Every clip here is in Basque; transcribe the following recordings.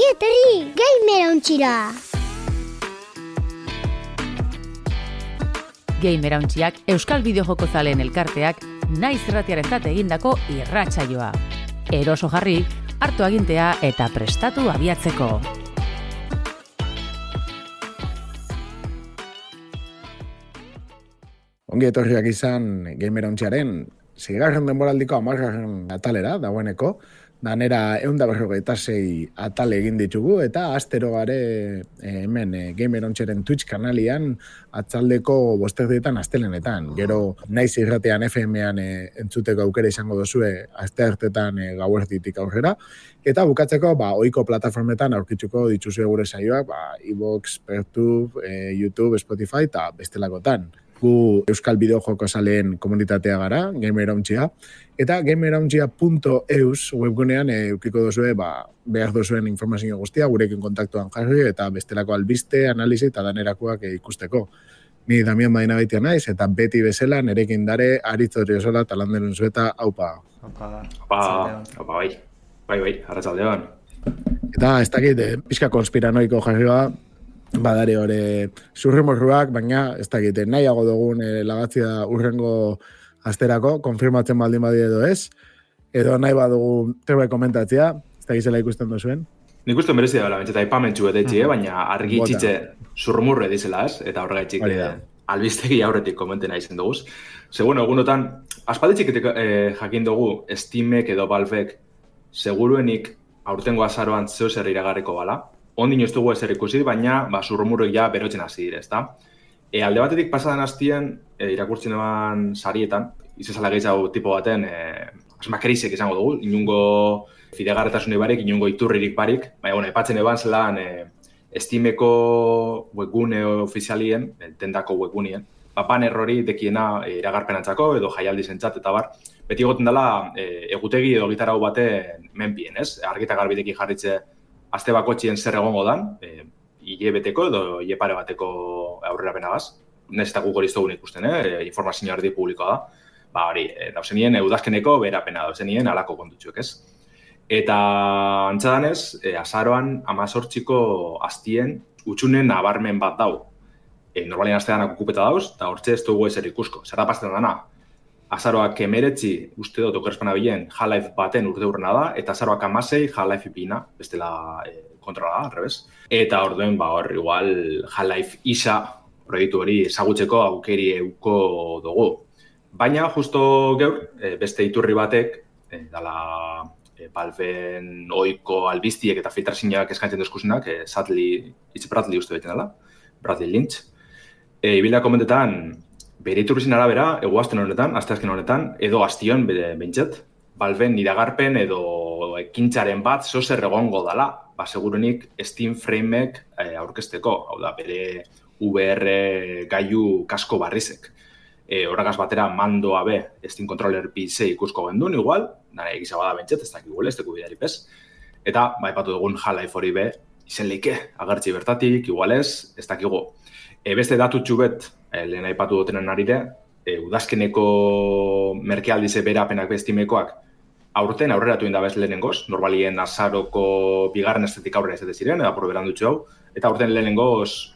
Ongi etorri, Gamerauntxira! Gamerauntxiak Euskal Bideojoko zaleen elkarteak naiz irratiarentzat egindako irratsaioa. Eroso jarri, hartu agintea eta prestatu abiatzeko. Ongi etorriak izan Gamerauntxiaren 6. denboraldiko 10. atalera dagoeneko. Danera 156 atal egin ditugu eta astero gare hemen Gamerauntxiaren Twitch kanalian atzaldeko 5:00 astelenetan. Gero naiz irratean FM-ean entzuteko aukera izango dozue asteartetan gauerditik aurrera. Eta bukatzeko ohiko plataformetan aurkituko dituzue gure saioak, iVoox, Pertube, YouTube, Spotify eta bestelakotan. Gu Euskal Bideojoko zaleen komunitatea gara, Gamerauntxia, eta gamerauntxia.eus webgunean eukiko dozue, behar dozuen informazio guztia, gurekin kontaktuan jarri, eta bestelako albiste, analizi eta danerakoak ikusteko. Ni Damian Badinagaitia naiz, eta beti bezala nerekin dare Aritz Odriozola talanderun zueta, aupa. Bai, arratsaldeon. Eta ez dakit, pixka konspiranoiko jarrioa, badare hori zurrimorruak, baina ez dakit, nahiago dugun lagatzia urrengo asterako, konfirmatzen baldin badi edo ez, edo nahi badugu zerbait komentatzea, ez dakit zela ikusten duzuen. Nik uste merezia dela, bentseta ipamentxu etetxi, baina argi txitze zurrumurre dizela ez, eta horregaitxik albistegi aurretik komenten aizen duguz. Bueno, egunotan, aspalditxik jakin dugu Steamek edo Valvek seguruenik aurtengo azaroan zeu zer iragarriko bala. Ondin ez dugu ezer ikusi, baina zurrumurroik ja berotzen hasi dire, ezta? Alde batetik pasadan hastien, irakurtzen eban sarietan, izazala gehiago tipo baten, asmakerizek izango dugu, inungo fidegarretasune barik, inungo iturririk barik, baina, epatzen eban zelan Steameko webgune ofizialien, tendako webgunien, baner hori dekiena iragarpenatzako edo jaialdi zentzat eta bar, beti egoten dela egutegi edo gitarau baten menpien, ez? Argita garbideki jarritze aste bakotxien zer egongo dan, hilebeteko edo hilepare bateko aurrera benagaz. Nez eta guk hori iztogun ikusten, informazio erdi publikoa da. Hori, dauzenien udazkeneko berapena dauzenien alako kontutxuek, ez? Eta antzadanez, azaroan 18ko astien utxunen nabarmen bat dau. Normalien astean okupeta dauz, eta hortxe ez dugu ezer ikusko. Zer da pasten dana? Azaroak 19, uste dut okerespana bilen, Half-Life baten urte hurrena da, eta azaroak 16, Half-Life bina, bestela kontrola da, arrebez. Eta orduen, hor, igual, Half-Life isa proiektu hori ezagutzeko aukeri euko dugu. Baina, justo geur, beste iturri batek, dala Valven oiko albiztiek eta filtrazinak eskaintzen dozkusenak, It's Bradley uste beten dela, Bradley Lynch. Ibilda komentetan, bere iturrizin arabera, eguazten honetan, asteazken honetan, edo astion behintzet, Valven iragarpen edo ekintzaren bat zozer egongo dala, segurunik Steam Frameek aurkezteko, hau da, bere VR gailu kasko barrizek. Horregaz batera mandoa be, Steam Controller PC ikusko gendun, igual, nare egizago da behintzet, ez dakik ez dugu bidari pez. Eta, epatu dugun Half-Life hori be, izen leike, agertzi bertatik, igual ez dakigu. Beste datutxu bet, lehen aipatu dutenen arire, udazkeneko merkealdize berapenak bestimekoak aurten aurreratu indabez lehenengoz, normalien azaroko bigarren estetik aurrera izate ziren, eta proberan dutxu hau, eta aurten lehenengoz,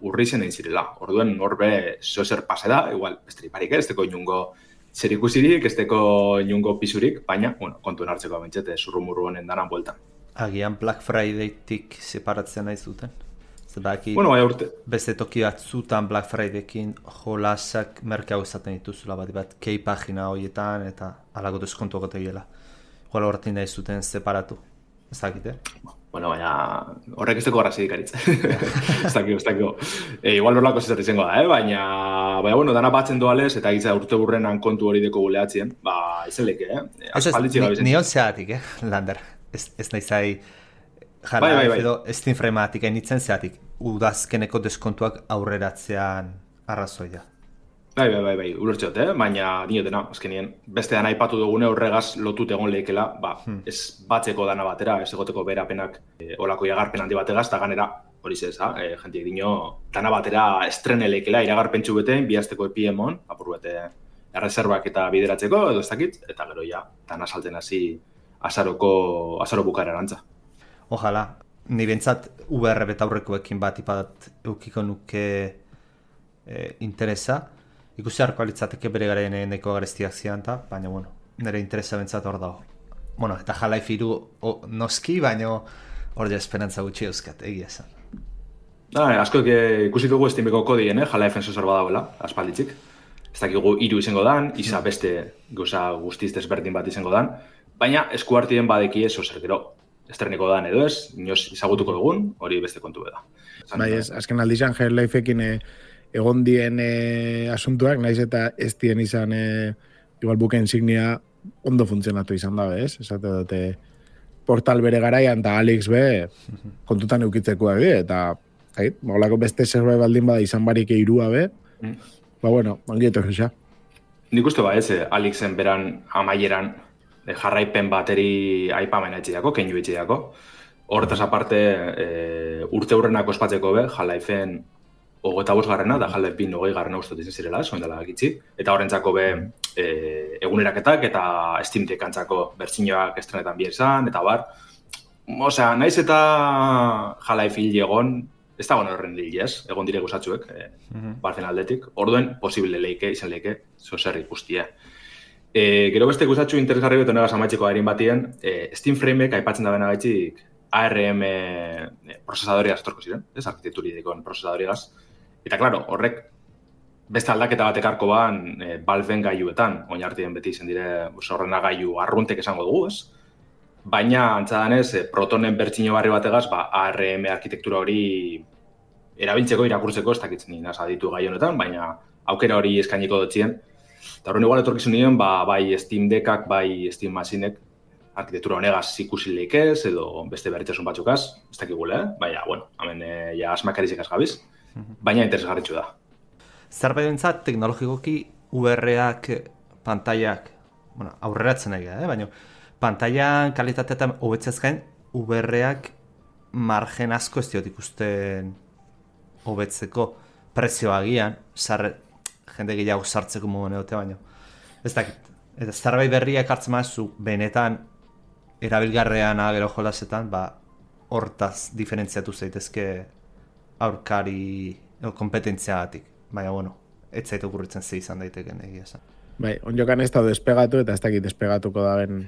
urri zen egin zirela. Orduen horbe zozer pase da, igual, estriparik ez teko inungo zer ikusirik, ez teko inungo pisurik, baina, kontuen hartzeko abentxete, zurrumurru honen danan bueltan. Agian Black Friday-tik separatzen nahi zuten? Zebaki, beste toki batzutan Black Friday-ekin jolasak merkeago izaten dituzula bat kei pagina horietan eta alako deskontuak otegiela. Igual horretin nahi zuten separatu. Ez dakit, baina horrek ez teko garrazidik aritz. Ez dakiko. Igual horlako zizat izango da, baina, dana batzen doalez eta egitza urte burrenan kontu hori deko guleatzien, izen leke, Nion zeatik, Lander. Ez nahi zai Half-Life edo Steam Frame-atik enitzen zeatik, udazkeneko deskontuak aurreratzean arrazoia. Bai, ulertxot, baina dinotena, azkenien, beste dana aipatu dugune horregaz lotut egon lehikela, ez batzeko dana batera, ez egoteko berapenak olako iragarpen handi bategaz, eta ganera, hori zez, jentiek dino, dana batera estrene lehikela, iragarpentsu beten, bihazteko epiemon, apur bete errezerbak eta bideratzeko, edo ez dakit, eta gero ja, dana salten hasi azaro bukara erantza. Ojalá. ni bentsat VR betaurrekoekin bat ipadat eukiko nuke interesa. Ikusi harko alitzateke bere garen neko garestiak zian, baina, bueno, nire interesa bentsat hor dago. Bueno, eta Half-Life 3 noski, baina hor ja esperantza gutxi euskat, egia esan. Asko ikusi dugu Steameko kodien, Half-Life sensor badauela, aspalditzik. Ez dakigu 3 izango dan, isa beste gauza guztiz desberdin bat izango dan, baina eskuartien badeki ez ozer gero. Estreniko dan edo ez, inoz izagutuko dugun, hori beste kontu da. Bai, azken aldizan Half-Lifeekin egon dien asuntuak, naiz eta ez dien izan igual buke insignia ondo funtzionatu izan dabe, ez? Esate dute portal bere garaian eta Alex be kontutan eukitzekoak di, eta molako beste zerbait baldin bada izan barik 3 be, ba bueno, ongieto gisa. Nik uste ba ez, Alexen beran amaieran jarraipen bateri aipamen etxeako, keinu etxeako. Horretaz aparte, urte hurrenako ospatzeko be, Half-Lifeen 25 garrena, da Half-Life 20 garrena ustot izan zirela, soin dela gitzi. Eta horrentzako be, eguneraketak eta Steam Deck-antzako bertsioak estrenetan bi izan, eta bar. Osea, naiz eta Half-Life hil egon, ez da horren hil ez, egon dire gozatzuek, barzen aldetik. Orduen, posible leike, izan leike, zozer ikustia. Gero beste guztatxu interesgarri beto negaz amaitzeko erin batien, Steam Frameek aipatzen da bena gaitxik ARM procesadoriaz torko ziren, ez arkitekturidikon procesadoriaz. Eta, klaro, horrek beste aldaketa batek arko ban Valveen gaiuetan, oinartien beti izen dire horrena gaiu arruntek esango dugu, ez? Baina, antzadanez, Protonen bertxino barri bategaz, ARM arkitektura hori erabiltzeko, irakurtzeko, ez dakitzen nina aditu gai honetan, baina aukera hori eskainiko dotzien. Eta horren igual etorkizun nien, bai Steam Deckak, bai Steam Machinek arkitektura honegaz ikusileik ez, edo beste berritzasun batzukaz, ez dakigule, baina, bueno, hemen ja asmakarizikaz gabiz, baina interesgarritxu da. Zerbait bentzat, teknologikoki VR-ak, pantaiak, bueno, aurreratzen nahi baina pantaian kalitateetan hobetzez gain, VR-ak margen asko ez diot ikusten hobetzeko prezioa agian, jende gehiago sartzeko modu neote baino. Ez dakit, eta zerbait berriak hartzen mazu, benetan erabilgarrean gero jolasetan, hortaz diferentziatu zaitezke aurkari kompetentziagatik. Baina, bueno, ez zaitu okurritzen ze izan daiteken egia esan. Bai, onjokan ez da despegatu eta ez dakit despegatuko da ben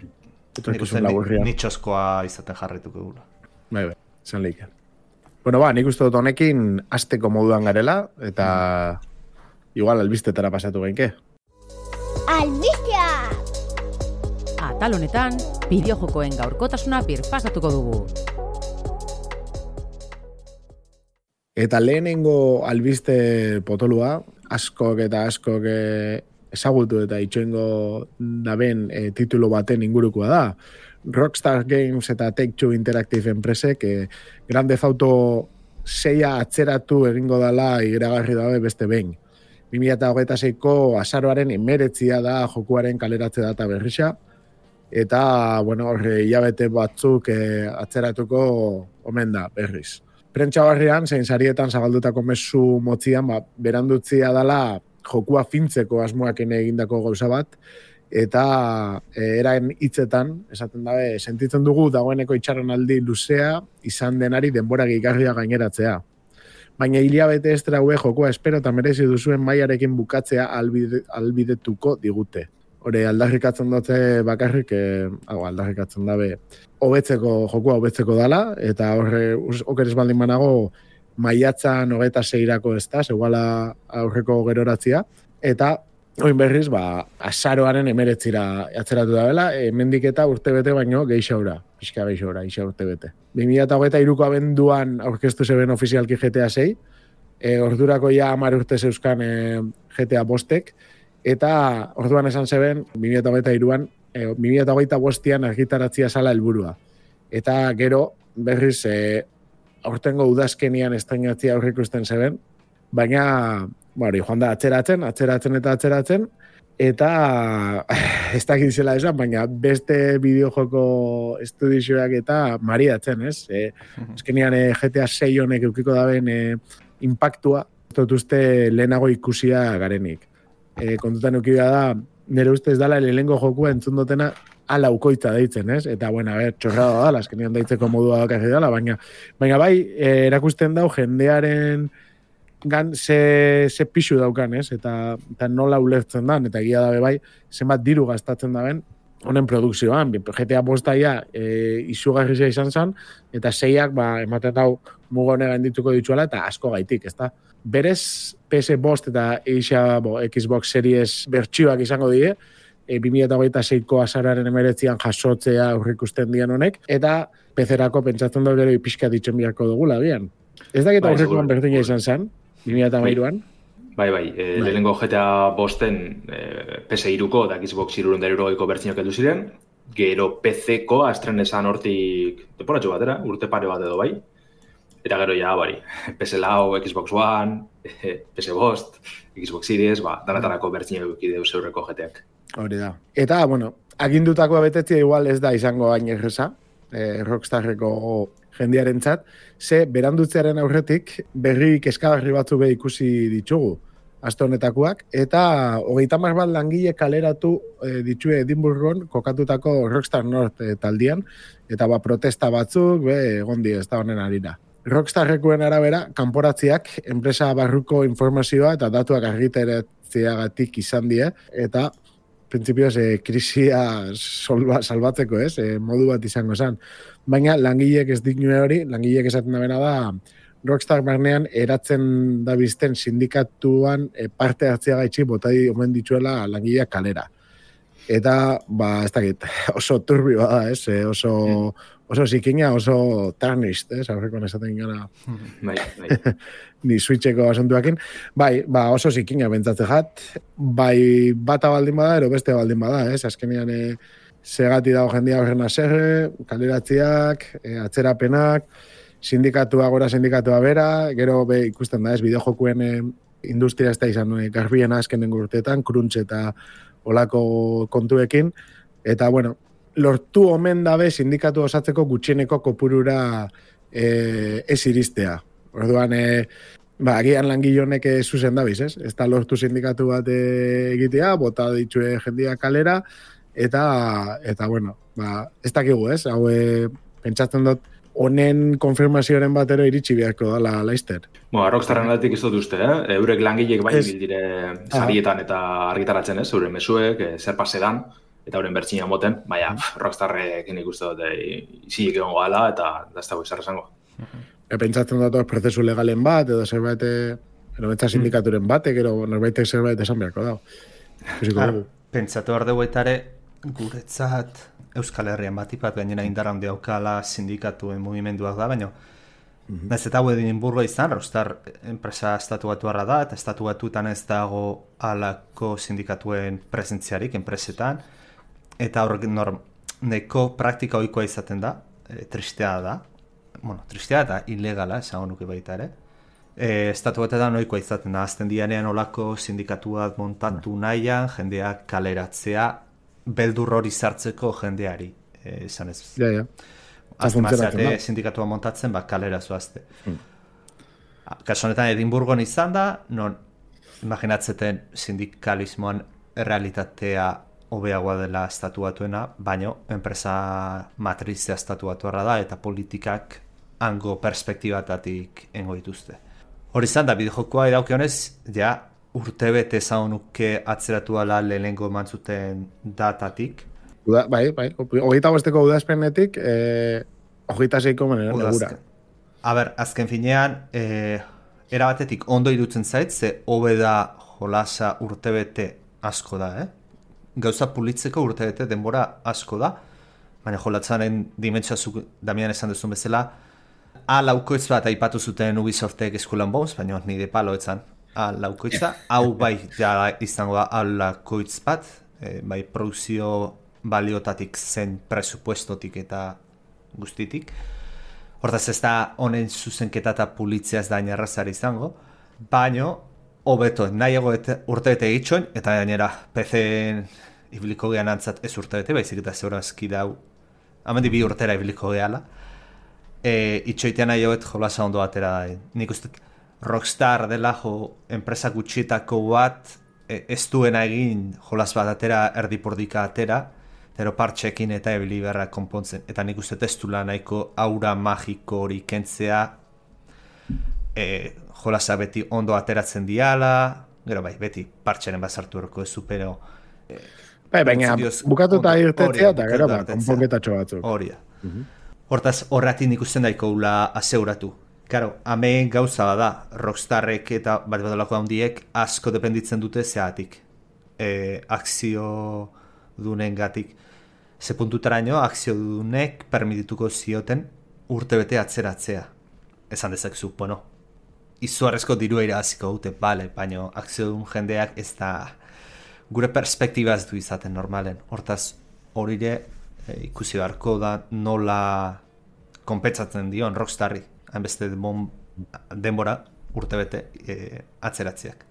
etorkizun laburria. Nitxoskoa izaten jarrituko gula. Bai, zan leiken. Bueno, nik uste dut honekin hasteko moduan garela, eta igual albistetara pasatu gainke. Albistea! Atal honetan, bideojokoen gaurkotasuna birpasatuko dugu. Eta lehenengo albiste potolua, askok ezagutu eta itxoengo daben titulo baten ingurukoa da. Rockstar Games eta Take-Two Interactive enpresek Grand Theft Auto 6 atzeratu egingo dela iragarri dabe beste behin. 2026ko azaroaren 19 da jokuaren kaleratze data berrisa, eta, bueno, hilabete batzuk atzeratuko omen da berriz. Prentsa barrian, zein sarietan zabaldutako mezu motzian, berandutzia dela jokua fintzeko asmoaken egindako gauza bat, eta eraen hitzetan, esaten dabe, sentitzen dugu dagoeneko itxaronaldi luzea izan denari denbora gehigarria gaineratzea. Baina hilabete estra hue jokua espero eta merezi duzuen mailarekin bukatzea albidetuko digute. Hore, aldarrikatzen dute bakarrik, aldarrikatzen dabe, jokua hobetzeko dala, eta horre, okeres baldin banago, maiatzan 26-rako ez da, zegoala aurreko geroratzia, eta oin berriz, azaroaren 19-ra atzeratu da bela, hemendik eta urtebete baino geixaura, pixka geixaura, urtebete. 2023ko abenduan aurkeztu zeben ofizialki GTA 6, ordurako ja 10 urte zeuzkan GTA 5-ek, eta orduan esan zeben 2023an, 2025an argitaratzia zala helburua. Eta gero, berriz, aurtengo udazkenian estreinatzia aurrikusten zeben, baina, joan da atzeratzen, eta ez dakit zela esan, baina beste bideojoko estudizioak eta mariatzen, ez? Azkenean GTA 6 honek eukiko daben impactua, dut uste lehenago ikusia garenik. Kontutan eukidea da, nire ustez dala lehenengo jokua entzun dutena ala ukoitza deitzen, ez? Eta, bueno, txorrada da, azkenean deitzeko modua dakarri dela, baina bai, erakusten dau jendearen gan ze pixu daukan, ez? Eta nola ulertzen dan, eta egia dabe bai, zenbat diru gastatzen daben, honen produkzioan, GTA bostaia izugarrizia izan zen, eta 6ak ematen dau mugone gaindituko dituela, eta asko gaitik, ezta? Berez, PS Bost eta Xbox Series bertsioak izango die, 2026ko azararen 19an jasotzea aurrikusten dian honek, eta PC-erako pentsatzen dut gero pixka ditzen biharko dugula, gian. Ez dakit aurrekoan berdina izan zen, 2013an? Bai, lehenengo GTA bosten PS3ko eta Xbox 360ko bertsioak heldu ziren, gero PC-ko estrenesan hortik temporatxo batera, urte pare bat edo bai, eta gero ja, PS4, Xbox One, PS Bost, Xbox Series, danatarako bertsioak ideu zeurreko GTAk. Hori da. Eta, bueno, agindutakoa betetzea igual ez da izango hain erreza, Rockstarreko jendearentzat, ze berandutzearen aurretik berri kezkagarri batzu be ikusi ditugu aste honetakoak, eta 30 bat langile kaleratu ditue Edinburgon kokatutako Rockstar North taldian, eta protesta batzuk egon die ez da honen arira. Rockstarrekoen arabera, kanporatziak enpresa barruko informazioa eta datuak argiteratzeagatik izan die, eta printzipioz krisia salbatzeko, modu bat izango zen. Baina langileek ez dinue hori, langileek esaten dabena da, Rockstar barnean eratzen dabizten sindikatuan parte hartzea gaitxi botai omen dituela langileak kalera. Eta, ez dakit, oso turbio da, oso zikina, oso tarnisht, aurrekoan esaten gara ni switcheko asuntuakin. Oso zikina bentzatzen jat, bata baldin bada, ero beste baldin bada, azkenean segati dago jendia horren aserre, kaleratziak, atzerapenak, sindikatua gora sindikatua bera, gero ikusten da, bideojokuen industria ez da izan garbien azkenen urteetan, crunch eta olako kontuekin, eta, bueno, lortu omen dabe sindikatu osatzeko gutxieneko kopurura ez iristea. Orduan, agian langilonek zuzen dabiz, ez? Ez da lortu sindikatu bat egitea, bota ditue jendia kalera, eta bueno, ez dakigu, ez? Hau, pentsatzen dut, honen konfirmazioaren batero iritsi beharko dala Leicester. Rockstarren aldetik ez dut uste, eurek langilek bai bildire sarietan eta argitaratzen, euren mezuek, zer pasedan, eta horren bertxina moten, baina Rockstarrek nik uste dut izilik egon gala, eta ez dago izar esango. Pentsatzen dut prozesu legalen bat, edo zerbait, edo sindikaturen batek, edo norbaitek zerbait esan beharko dago. Pentsatu hor dugu etare, guretzat Euskal Herrian batipat gainera indarra handi daukala sindikatuen mugimenduak da, baina ez eta Edinburgo izan, Rockstar enpresa estatu batuarra da, eta estatu batuetan ez dago alako sindikatuen presentziarik enpresetan, eta horrek neko praktika ohikoa izaten da, tristea da, eta ilegala, esango nuke baita ere. Estatu batetan ohikoa izaten da, azten dianean olako sindikatuak montatu nahian, jendeak kaleratzea, beldur hori sartzeko jendeari, esan ez. Ja. Azte sindikatua montatzen, kalera zoazte. Kaso honetan Edinburgon izan da, non imaginatzeten sindikalismoan realitatea hobeagoa dela estatu batuena, baino enpresa matrizia estatu batuarra da, eta politikak hango perspektibatatik engo dituzte. Hori izan da, bideojokoa edauke honez, ja, urtebete zaunuke atzeratu ala lehenengo emantzuten datatik. Bai, 25ko udazpenetik, 26ko manera negura. Azken finean, erabatetik ondo irutzen zait, ze hobe da jolasa urtebete asko da, Gauza pulitzeko urtebete denbora asko da, baina jolatzaren dimentsuazuk Damian esan duzun bezala, laukoitz bat aipatu zuten Ubisoftek Skull and Bones, baina nire paloetzan laukoitza, hau bai ja izango da laukoitz bat, bai produzio baliotatik zen presupuestotik eta guztitik. Hortaz ez da honen zuzenketa eta pulitzea ez da inerrazari izango, baino hobeto nahiago urtebete egitxoin, eta gainera PC-en ibiliko gehan antzat ez urtebete, baizik eta zeurazki dau, hamendi 2 urtera ibiliko gehala, itxoitean nahiagoet jolasa ondo batera da. Nik uste Rockstar dela enpresa gutxietako bat ez duena egin jolas bat atera, erdipordika atera, Zero partxekin eta ebili beharra konpontzen. Eta nik uste testula nahiko aura magiko hori kentzea, jolasa beti ondo ateratzen diala, gero bai, beti partxeren bazartu eroko ezu, pero... Baina, bukatuta irtetzea eta gero konponketatxo batzuk. Hori da. Hortaz, horretik nik uste daiko ula aseuratu. Karo, hemen gauza bada, Rockstarrek eta bat badalako handiek asko dependitzen dute zeatik. Akzio dunen gatik. Ze puntutaraino, akzio dunek permitituko zioten urtebete atzeratzea. Esan dezakezu, bueno, izuarrezko dirua irabaziko dute, bale, baina akzio dun jendeak ez da gure perspektiba ez du izaten normalen. Hortaz, horire ikusi beharko da nola konpentsatzen dion Rockstarri, hainbeste denbora urtebete atzeratzeak.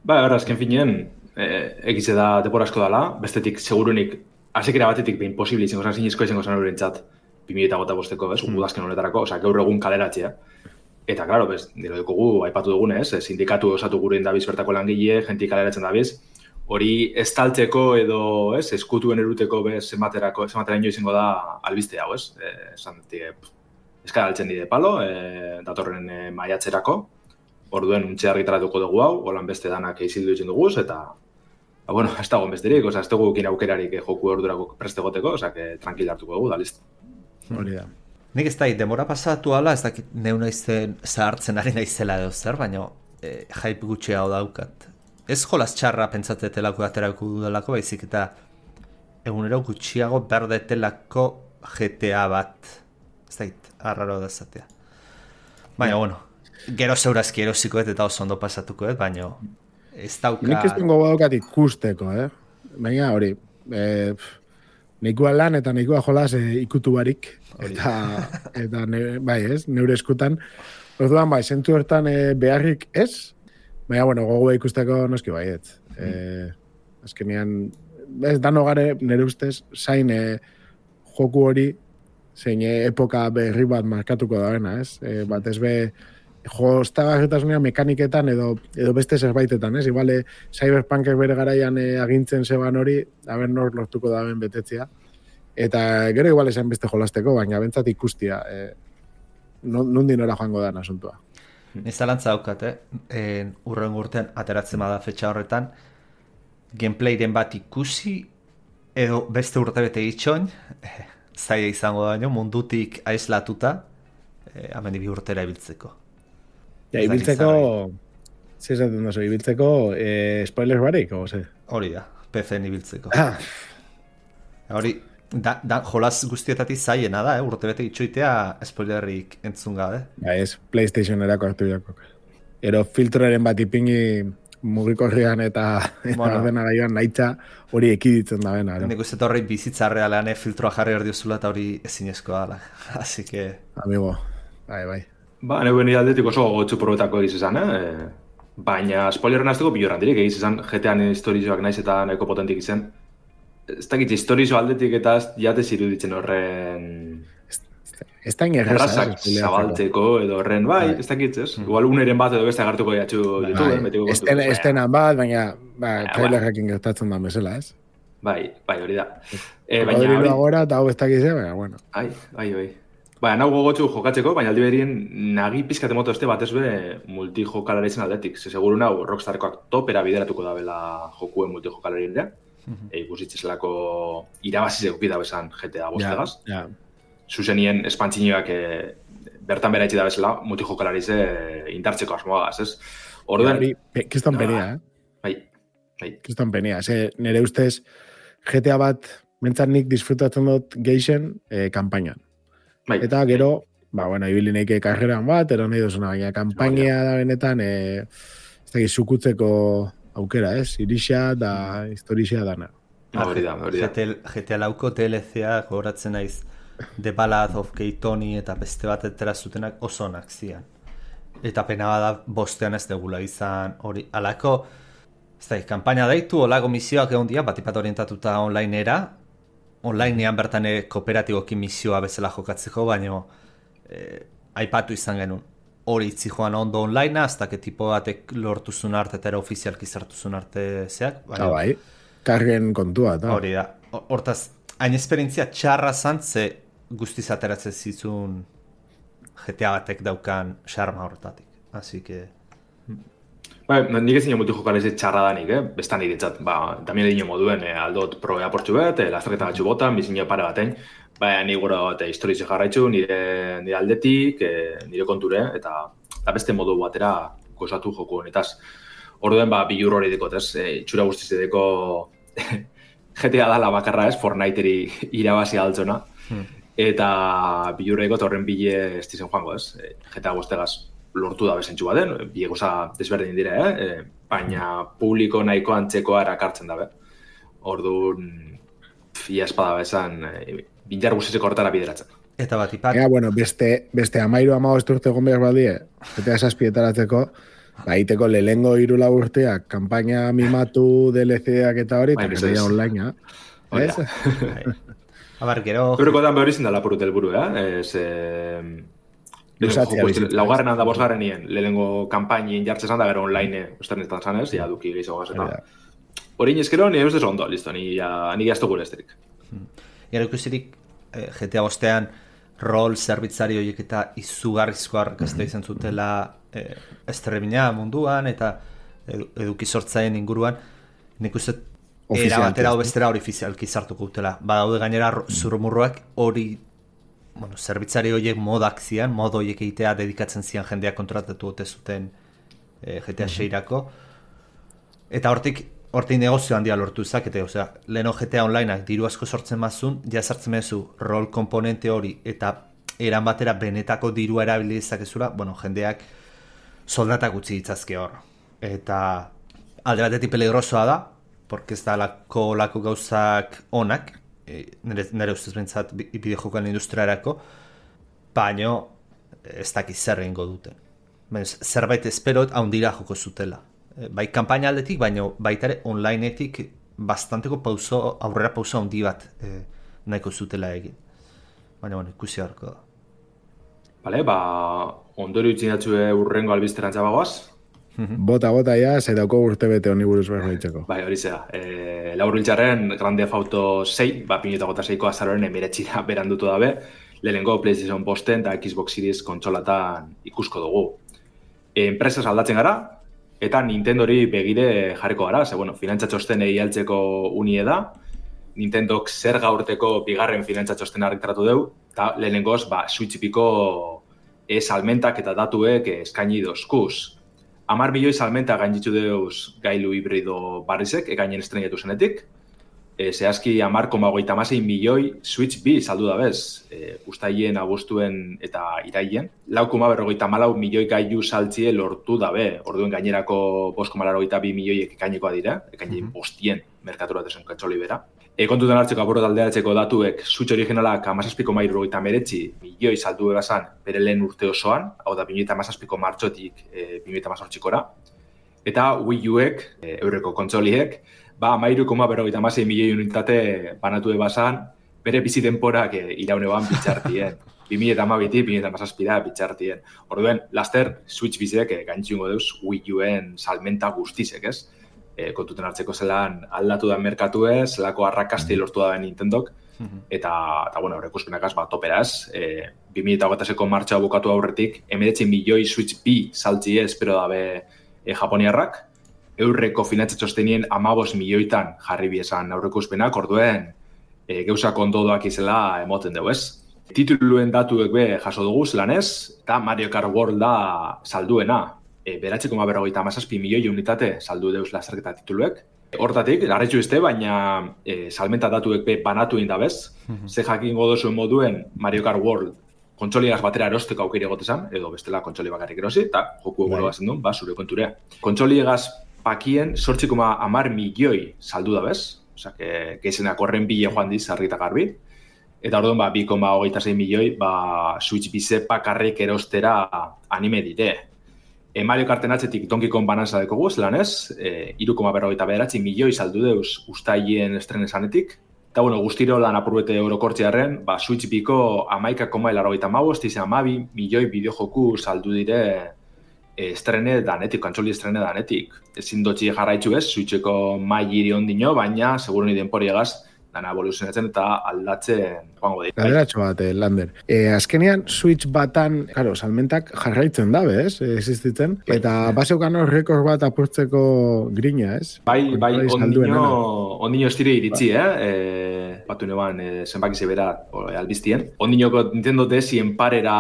Azken finean, egize da denbora asko dela, bestetik segurunik hasekera batetik behin posible izango zan zinezko izango zan horrentzat 2005-ko, udazken honetarako, gaur egun kaleratzea. Eta, klaro, dira dugu, aipatu dugunez, sindikatu osatu gure indabiz bertako langile, jentik kaleratzen dabiz, hori estaltzeko edo eskutuen eruteko zematera izango da albiste hau, esan eskara altzen dide palo, datorren maiatzerako, orduen untxe argitaratuko dugu hau, holan beste danak izildu ditzen duguz, eta bueno, ez dagoen besterik, ez dugu ekin aukerarik joku ordurako prestegoteko, tranquil hartuko dugu, da listo. Hori da. Nik ez da, demora pasatu ala, ez dakit neu nahizen zahartzen ari naizela edo zer, baina hype gutxea hau daukat. Ez jolaz txarra pentsatetelako aterako dudalako, baizik eta egunero gutxiago berdetelako GTA bat. Ez dakit, arraro da zatea. Baina, bueno, gero zeurazki erosikoet eta oso ondo pasatukoet, baina ez dauka... Nik ez dengo badaukat ikusteko, Baina hori, nikoa lan eta nikoa jolaz ikutu barik, eta bai ez, neure eskutan. Orduan bai, zentu hortan beharrik ez, baina, bueno, gogoa ikusteko noski bai ez. Azkenean, ez dano gare nire ustez, zain joku hori, zein epoka berri bat markatuko dagoena, ez? Bat ez be, joztagarritasunean mekaniketan edo beste zerbaitetan, ez? Igual, Cyberpunkek bere garaian agintzen zeban hori, haber nor lortuko daben betetzea. Eta gero igual esan beste jolasteko, baina bentsat ikustia, nondin ora joango da asuntua. Nizalantza daukat, urren urtean ateratzen bada fetxa horretan, gameplayren bat ikusi, edo beste urtebete itxoin, zaila izango da, mundutik aislatuta, hemen bi urtera ibiltzeko. Ja, ibiltzeko, zizaten dozu, ibiltzeko spoilers barik, o ze? Hori da, PC-en ibiltzeko. Hori, jolaz guztietatik zaiena da, urtebete itxoitea spoilerrik entzun gabe. Ja, ez, PlayStation-erako hartu jakok. Ero filtroren bat ipingi mugikorrian eta ordenagailuan nahitza hori ekiditzen da bena. Nik uste horri bizitza realean filtroa jarri hor diozula eta hori ezinezkoa da. Así que... Amigo, bai. Neuen aldetik oso gotzu probetako egiz izan, baina spoilerren azteko biloran dirik egiz izan, GTA-an historizoak naiz eta nahiko potentik izan. Ez dakit historizo aldetik eta jatez iruditzen horren... Ez da ingerreza. Errazak zabaltzeko edo horren, bai, ez dakit, ez? Igual uneren bat edo beste agartuko jatxu YouTube. Estenan bat, baina trailerrekin gertatzen da mesela, ez? Bai, hori da. Hori agora eta hau ez dakizea, baina, bueno. Bai. Baina, nago gogotxu jokatzeko, baina aldi berien nagi pizkate moto este batez be multijokalari zen aldetik. Ze seguru nago Rockstarkoak topera bideratuko dabela jokuen multijokalari indea. Ikusitzezlako irabaziz egukita bezan GTA bostegaz. Zuzenien espantzinoak bertan bera etxi da bezala multijokalarize indartzeko asmoagaz, ez? Orduan... Kistan penea, Bai. Kistan penea. Nere ustez GTA bat mentzat nik disfrutatzen dut geixen kampainan. Eta gero, ibili neike karreran bat, ero nahi duzuna, baina kampaina da benetan, ez da zukutzeko aukera, ez? Irixa da historixa dana. Hori da. GTA lauko DLC-a gogoratzen naiz The Ballad of Gay Tony eta beste bat etera zutenak oso onak zian. Eta pena bada bostean ez degula izan hori. Alako, ez da, kampaina daitu, olako misioak egon dia, batipat orientatuta onlineera, onlinean bertan kooperatibokin misioa bezala jokatzeko, baina aipatu izan genuen. Hori itzi joan ondo onlinea, hasta que tipo batek lortuzun arte eta ofizialki zartuzun arte zeak. Bai, kargen kontua. Hori da. Hortaz, hain esperientzia txarra zantze guztiz ateratzen zizun GTA batek daukan xarma horretatik. Así que... nik ez nio multijokar ez txarra danik, bestan iritzat. Tamien edino moduen, aldot probea portxu bet, lasterketa batxu botan, bizinio pare batein. Ni gero historizi jarraitzu, nire aldetik, nire konture, eta beste modu batera gozatu joko honetaz. Orduen, bilur hori dikot, txura guztiz edeko GTA dala bakarra Fortniteri irabazi altzona. Eta bilur edikot horren bile ez dizen joango, GTA guztegaz lortu da bezentxu baden, bile goza desberdin dire, baina publiko nahiko antzekoa erakartzen dabe. Orduan, ia espada bezan, binjar guztizeko hortara bideratzen. Eta bat ipat. Beste 13-15 urte egon behar baldie, GTA 7-etaratzeko, iteko lehengo 3 urteak, kampaina mimatu, DLC-ak eta hori, eta gero online, ez? Abar, gero... Eurokotan behar izin da lapurut elburu, laugarren handa bosgarren nien, lehengo kampainin jartzen da, gero online, usternetan zanez, ja duki gehiago gazeta. Horin ezkero, nire ez ondo, listo, ni jaztu gure esterik. Gero ikusirik, GTA bostean, rol zerbitzari horiek eta izugarrizko arrakasta izan zutela estrebina munduan eta eduki sortzaien inguruan, nik uste era batera bestera hori ofizialki sartuko dutela. Badaude gainera zurrumurroak hori, zerbitzari horiek modak zian, modo horiek egitea dedikatzen zian jendeak kontratatu ote zuten GTA 6-rako. Eta hortik negozio handia lortu zakete, leheno GTA Onlineak diru asko sortzen mazun, jazartzen mezu rol komponente hori eta eran batera benetako dirua erabili dezakezula, jendeak soldatak utzi ditzazke hor. Eta alde batetik peligrosoa da, porque ez da lako gauzak onak, nire ustez bentsat bideojokoan industriarako, baina ez dakiz zer egingo duten. Zerbait esperot haundira joko zutela. Bai kanpaina aldetik, baina baita ere onlineetik bastanteko aurrera pauso handi bat nahiko zutela egin. Baina, ikusi harko da. Bale, ondorio itzinatxue urrengo albizterantza bagoaz? Bota, ja, zaitako urte bete honi buruz behar horitzeko. Bai, hori zera. Laur biltzarren Grand Theft Auto 6, 2006ko azaroren emiretxira berandutu dabe, lehenengo PlayStation posten eta Xbox Series kontsolatan ikusko dugu. Enpresas aldatzen gara, eta Nintendori begire jarriko gara, finantzatxosten egialtzeko unie da, Nintendok zer gaurteko bigarren finantzatxosten argitaratu deu, eta lehenengoz, Switch-piko salmentak eta datuek eskaini dozkuz. 10 milioi salmenta gainditzu deuz gailu hibrido barrizek, ekainen estrenatu zenetik, zehazki 10,26 milioi Switch 2 saldu da bez, ustaien, abostuen eta iraien. 4,54 milioi gailu saltzie lortu dabe, orduen gainerako 5,82 milioiek ekainekoa dira, ekainen bostien merkatura dezen kantzoli bera. Kontuten hartzeko aborot alderatzeko datuek Switch originalak 17,79 milioi saldu egazan bere lehen urte osoan, hau da 2017ko martxotik 2018kora. Eta Wii U-ek, eurreko kontzoliek, 13,56 milioi unitate banatu ebazan, bere bizi denporak iraunean bitxartien. 2012-tik, 2017 bitxartien. Orduen, laster Switch bizek gaintxingo deuz Wii U-en salmenta guztizek, ez? Kontuten hartzeko zelan aldatu da merkatu ez, zelako arrakasti lortu da Nintendok, eta horrekuspenakaz toperaz, 2008ko martxa bukatu aurretik, 19 milioi Switch 2 saltzi espero dabe japoniarrak, eurreko finantzatxostenien 15 milioitan jarri biezan aurrekuspenak, orduen geuzak ondodoak izela emoten dugu ez. Tituluen datuek be jaso dugu zelan ez, eta Mario Kart World da salduena. 9,57 milioi unitate saldu deuz lasterketa tituluek. Hortatik, larretxu izte, baina salmenta datuek be banatu indabez. Ze jakingo dozuen moduen Mario Kart World kontsoliagaz batera erosteko aukeri egotezan, edo bestela kontsoli bakarrik erosi, eta joku eguro bazen duen, zure konturea. Kontsoliagaz pakien 8,10 milioi saldu dabez, osea, geizenak horren bile joan diz, argi eta garbi. Eta orduan, 2,26 milioi, Switch bize bakarrik erostera anime dite. Mario Karten atzetik Donkey Kong Bonanza dekogu, zelan ez, 3,49 milioi saldu deuz ustaien estrenesanetik. Eta, guztiro lan apurbete orokortzearen, Switch biko 11,85 milioi bideojoku saldu dire estrene danetik, kantzoli estrene danetik. Ezin dotxi jarraitzu ez, Switcheko mailiri ondino, baina, seguru ni denporiegaz, dana evoluzionatzen eta aldatzen joango dira. Galderatxo bat, Lander. Azkenean, Switch batan, claro, salmentak jarraitzen dabe, ez? Existitzen. Eta baseukan hor rekord bat apurtzeko grina, ez? Bai, ondino estire iritzi, batu neban zenbaki zebera albiztien. Ondinoko Nintendo DS-ien parera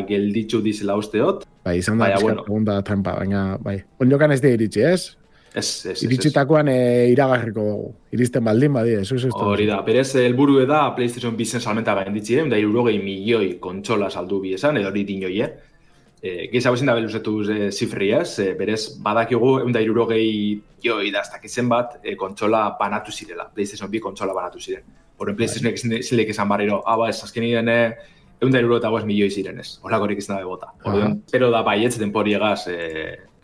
gelditzu dizela usteot. Bai, izan da, segunda trampa, baina, bai. Ondiokan ez da iritsi, ez? Ez. Iritsitakoan iragarriko iristen baldin badi, ez? Hori da, berez, helburu da PlayStation bizen salmenta gainditzi, da 60 milioi kontsola saldu bi esan, edo hori dinoi, Geza bezin da beluzetuz zifri, ez? Berez, badakigu 60 milioi daztakizen bat kontsola banatu zirela. PlayStation 2 kontsola banatu ziren. Horren PlayStation zilek esan barriro, ez azkenien 165 milioi ziren, ez? Horlakorik izan da bota. Pero da bai, ez denporiegaz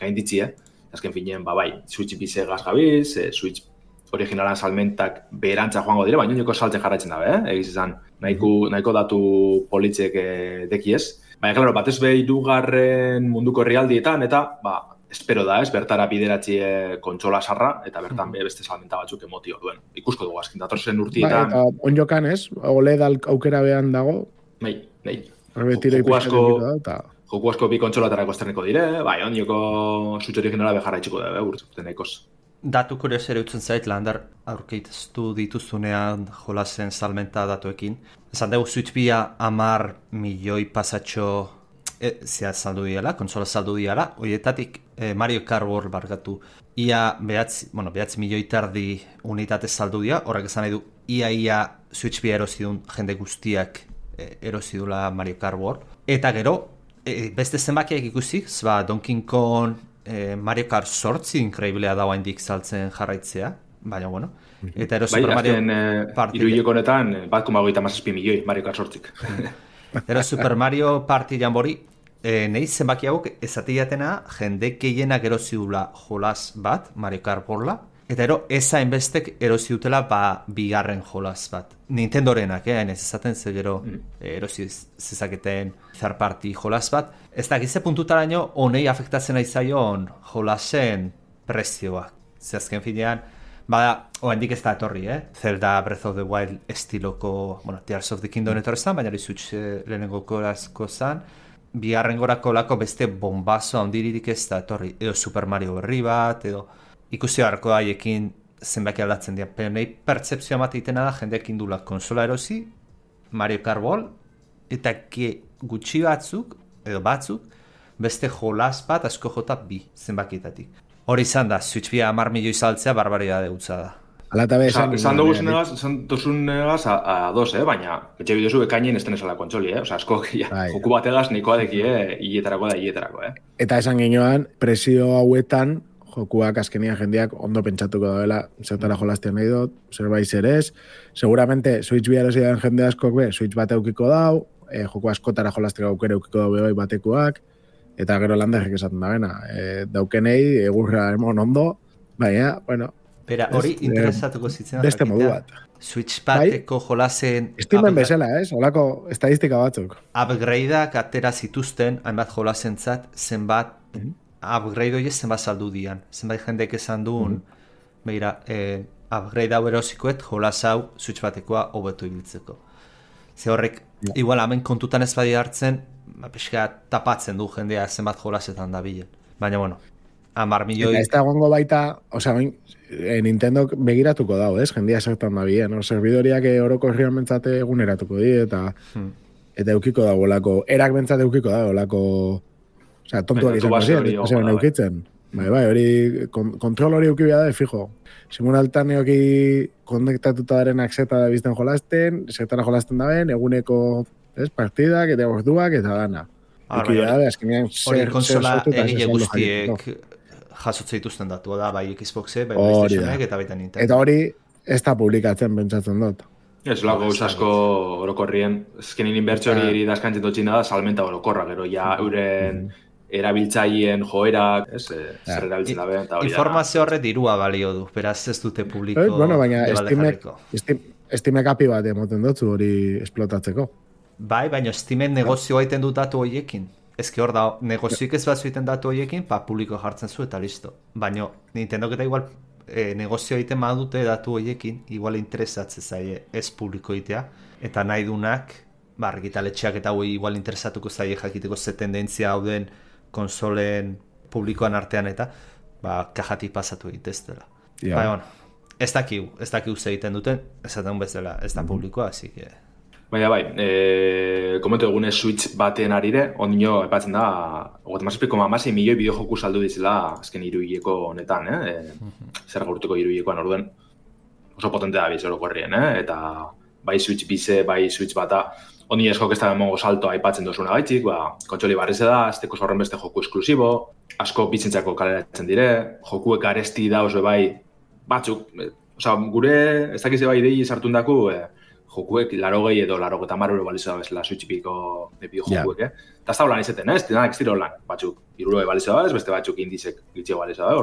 gainditzi, Azken finean, bai, Switch bize gazgabiz, Switch originalan salmentak beherantza joango dire, baina nioneko saltzen jarraitzen dabe, egiz izan, nahiko datu politzek dekiez. Baina, klaro, batez behi dugarren munduko herrialdietan, eta, espero da, bertara bideratzie kontsola sarra, eta bertan beste salmenta batzuk emotio duen. Ikusko dugu azkin, datorzen urtietan. Eta onjokan ez, OLED aukera behan dago. Bai. Joku asko bi kontsolatarako esterneko dire, ondioko Switch originala bejarraitxiko da, urtzen nahikoz. Datu kurios ere utzen zait, Lander, aurkeitaztu dituzunean jolasen salmenta datuekin. Esan dugu Switch bia 10 milioi pasatxo saldu diala, konsola saldu diala, horietatik Mario Kart World barkatu. Ia behatzi milioi tardi unitate saldu dira, horrek esan nahi du, ia Switch bia erozidun jende guztiak erozidula Mario Kart World. Eta gero, beste zenbakiak ikusi, Donkey Kong, Mario Kart 8 inkreiblea dagoa indik saltzen jarraitzea, baina bueno. Eta ero Super Mario Party... Iruileko honetan, 1,57 milioi Mario Kart 8. Ero Super Mario Party janbori, nahi zenbaki hauek ezatiatena jende gehienak erosi dula jolas bat, Mario Kart Worlda, eta ero ezainbestek erosi dutela bigarren jolas bat. Nintendorenak, ez ezaten ze gero erosi zezaketen third party jolas bat. Ez da, gize puntutaraino honei afektatzen aizaion jolasen prezioak. Zehazken finean, oendik ez da etorri, Zelda Breath of the Wild estiloko, Tears of the Kingdom etorri zan, baina Switch lehenengo korazko zan, bigarren gorako lako beste bombazo handiririk ez da etorri, edo Super Mario berri bat, edo ikusi harko haiekin zenbaki aldatzen dira. Pero nahi pertzepzioa mateitena da jendeak indula konsola erosi, Mario Kart World, eta gutxi batzuk, edo batzuk, beste jolas bat asko jota bi zenbakietatik. Hori izan da, Switch bia 10 milioi saltzea barbaridade gutza da. Esan duguzunegaz ados, baina etxe bidezu ekainen esten esala kontsoli, asko joku bategaz nahikoa deki, hietarako. Eta esan ginoan, presio hauetan, jokuak azkenian jendeak ondo pentsatuko dagoela, zertara jolaztean nahi dut, zerbait zerez. Seguramente, Switch bia erosian jende askok Switch bat eukiko dau, joku askotara jolazteko aukera eukiko dau bai batekoak, eta gero landerrek esaten da bena. Daukenei, egurra emon ondo, baina, bueno... Bera, hori interesatuko zitzen. Beste modu bat. Switch bateko jolasen... Steamen bezala, olako estadistika batzuk. Upgradeak atera zituzten, hainbat jolasentzat, zenbat upgrade hori zenbat saldu dian. Zenbat jendek esan duen, begira, upgrade hau erosikoet, jolas hau Switch batekoa hobetu ibiltzeko. Ze horrek, igual hemen kontutan ez badi hartzen, pixka tapatzen du jendea zenbat jolasetan da bilen. Baina, bueno, 10 milioi... Eta ez da gongo baita, Nintendo begiratuko dago, jendea zertan da bien, servidoriak oroko herrian bentsate eguneratuko di, eta eukiko dago lako, erak bentsate eukiko dago lako, tontuak izango ziren, eukitzen. Bai, hori, kontrol hori eukibia da, fijo. Simultan eoki konektatuta darenak zeta da bizten jolasten, zetara jolasten da ben, eguneko partidak, eta orduak, eta dana. Eukibia da, azkenean hori konsola egile guztiek jasotze dituzten datu da, bai Xboxe, bai PlayStationek eta baita Nintendo. Eta hori ez da publikatzen pentsatzen dut. Ez lago asko orokorrien, ezkenin inbertsio hori daskantzen dutxina da, salmenta orokorra, gero ja euren erabiltzaien joerak, zer erabiltzen da ben, eta hori da. Informazio horre dirua balio du, beraz ez dute publiko baina Steamek api bat emoten dutzu hori esplotatzeko. Bai, baina Steamen negozioa iten du datu horiekin. Ezke hor da, negozioik ez batzu iten datu horiekin, publiko jartzen zu eta listo. Baina Nintendo eta igual negozio egiten badute datu horiekin, igual interesatzen zaie ez publiko egitea, eta nahi dunak, argitaletxeak eta hori igual interesatuko zaie jakiteko ze tendentzia hauden konsolen publikoan artean eta kajatik pasatu egiteztela. Bueno, ez dakigu ze egiten duten, esaten bezala ez da publikoa, así que... Baina komentu egunez Switch baten arire, ondino epatzen da, 36,6 milioi bideojoku saldu dizela azken hiruhileko honetan, zer gaurtuko hiruhilekoan orduen oso potente da bizero korrien, eta bai Switch bize, bai Switch bata, ondino eskok ez da emongo salto aipatzen dozuna gaitxik, kontsoli barrize da, azteko zorren beste joku esklusibo, asko bitzentzako kaleratzen dire, jokuek aresti da oso bai batzuk, gure ez dakize bai idei sartun daku, jokuek 80 edo 80 euro balizo da bezala Switchpiko bideojokuek, eta ez da holan izeten, ez dira holan, batzuk 60 balizo da, beste batzuk indizek gitxego balizo da,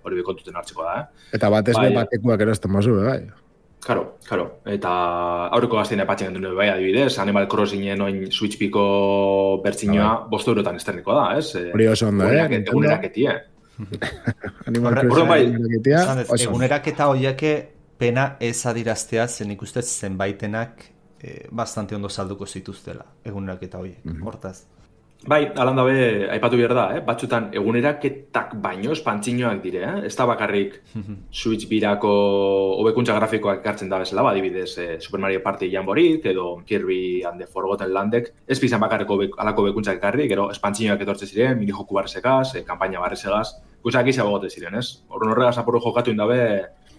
hori bekontuten hartzeko da. Eta batez batekuak erosten mazu, bai? Claro, eta aurreko gaztein epatzen gendu bai adibidez, Animal Crossingen oin Switchpiko bertzinoa 5 eurotan esterniko da, ez? Hori oso ondo, eguneraketi, Animal Crossing eguneraketa horiake pena ez adiraztea zen ikustez zenbaitenak bastante ondo salduko zituztela eguneraketa horiek, hortaz. Bai, alan dabe, aipatu behar da, batzutan eguneraketak baino espantzinoak dire, ez da bakarrik Switch birako hobekuntza grafikoak ekartzen da bezala, adibidez Super Mario Party Jamborik edo Kirby and the Forgotten Landek, ez bizan bakarriko alako hobekuntzak ekarri, gero espantzinoak etortze ziren, minijoku barrezegaz, kampaina barrezegaz, guzak izan gogote ziren, ez? Horrega zapurru jokatu indabe,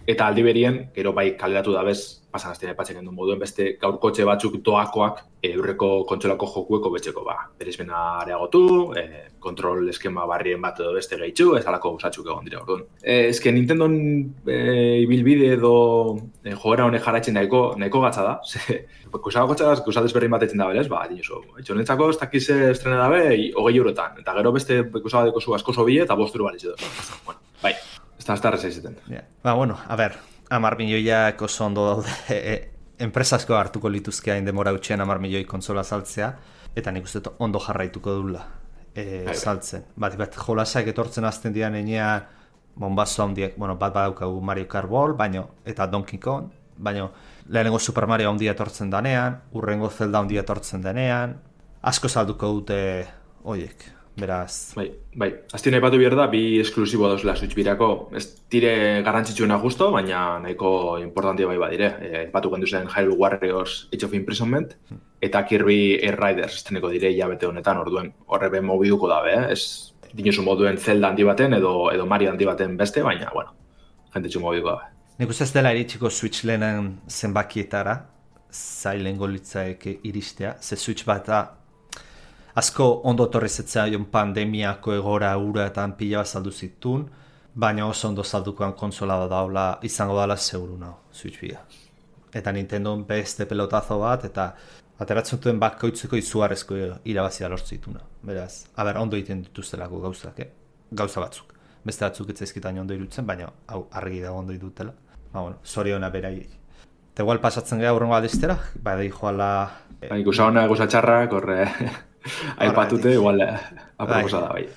eta aldi berien, gero bai kaleratu dabez, pasan aztean epatzen gendun moduen, beste gaurkotxe batzuk doakoak eurreko kontsolako jokueko betxeko, berizmena areagotu, kontrol eskema barrien bat edo beste gehitxu, ez alako usatzuk egon dira, orduan. Ezke Nintendon ibilbide edo joera honek jarraitzen nahiko gatza da, kusako gotxaz, kusatez berrin bat etzen da berez, dinosu, etxonetzako ez dakiz estrena dabe, 20 eurotan, eta gero beste kusabadeko zu asko sobi eta 5 euro balitze dut. Bueno, bai. Ez da rezaizetan. Bueno, a ber, 10 milioiak oso ondo daude, enpresasko hartuko lituzkea indemora utxean 10 milioi kontsola saltzea, eta nik uste ondo jarraituko dula saltzen. Bat jolasak etortzen azten dian enean, bombazo handiak, bat badaukagu Mario Kart Ball, eta Donkey Kong, baina lehenengo Super Mario handia etortzen danean, urrengo Zelda handia etortzen danean, asko salduko dute hoiek. Beraz... Bai. Aztien aipatu behar da, bi esklusibo dauzela Switch birako. Ez dire garrantzitsuena justo, baina nahiko importantia bai badire. Aipatu gendu zen Hyrule Warriors Age of Imprisonment, eta Kirby Air Riders esteneko dire hilabete honetan, orduen horre ben mobiduko dabe, ez dinuzu moduen Zelda handi baten edo Mario handi baten beste, baina, jentetxu mobiduko dabe. Nik uste ez dela iritsiko Switch lehenen zenbakietara, zailengo litzaeke iristea, ze Switch bata asko ondo torrezetzea pandemiako egora uratan pila bat saldu zitun, baina oso ondo saldukoan konsola da daula izango dala zeuru naho, Switch bia. Eta Nintendo beste pelotazo bat, eta ateratzen duen bakoitzeko izugarrezko irabazia lortzituna. Beraz, ondo egiten dituztelako gauzak, gauza batzuk. Beste batzuk etzaizkitan ondo irutzen, baina hau argi dago ondo idutela. Zoriona berai. Eta igual pasatzen gara urrengo aldiztera, bai joala... Ikusa hona, ikusa txarrak, horre... Aipatute, igual, aproposa da, bai.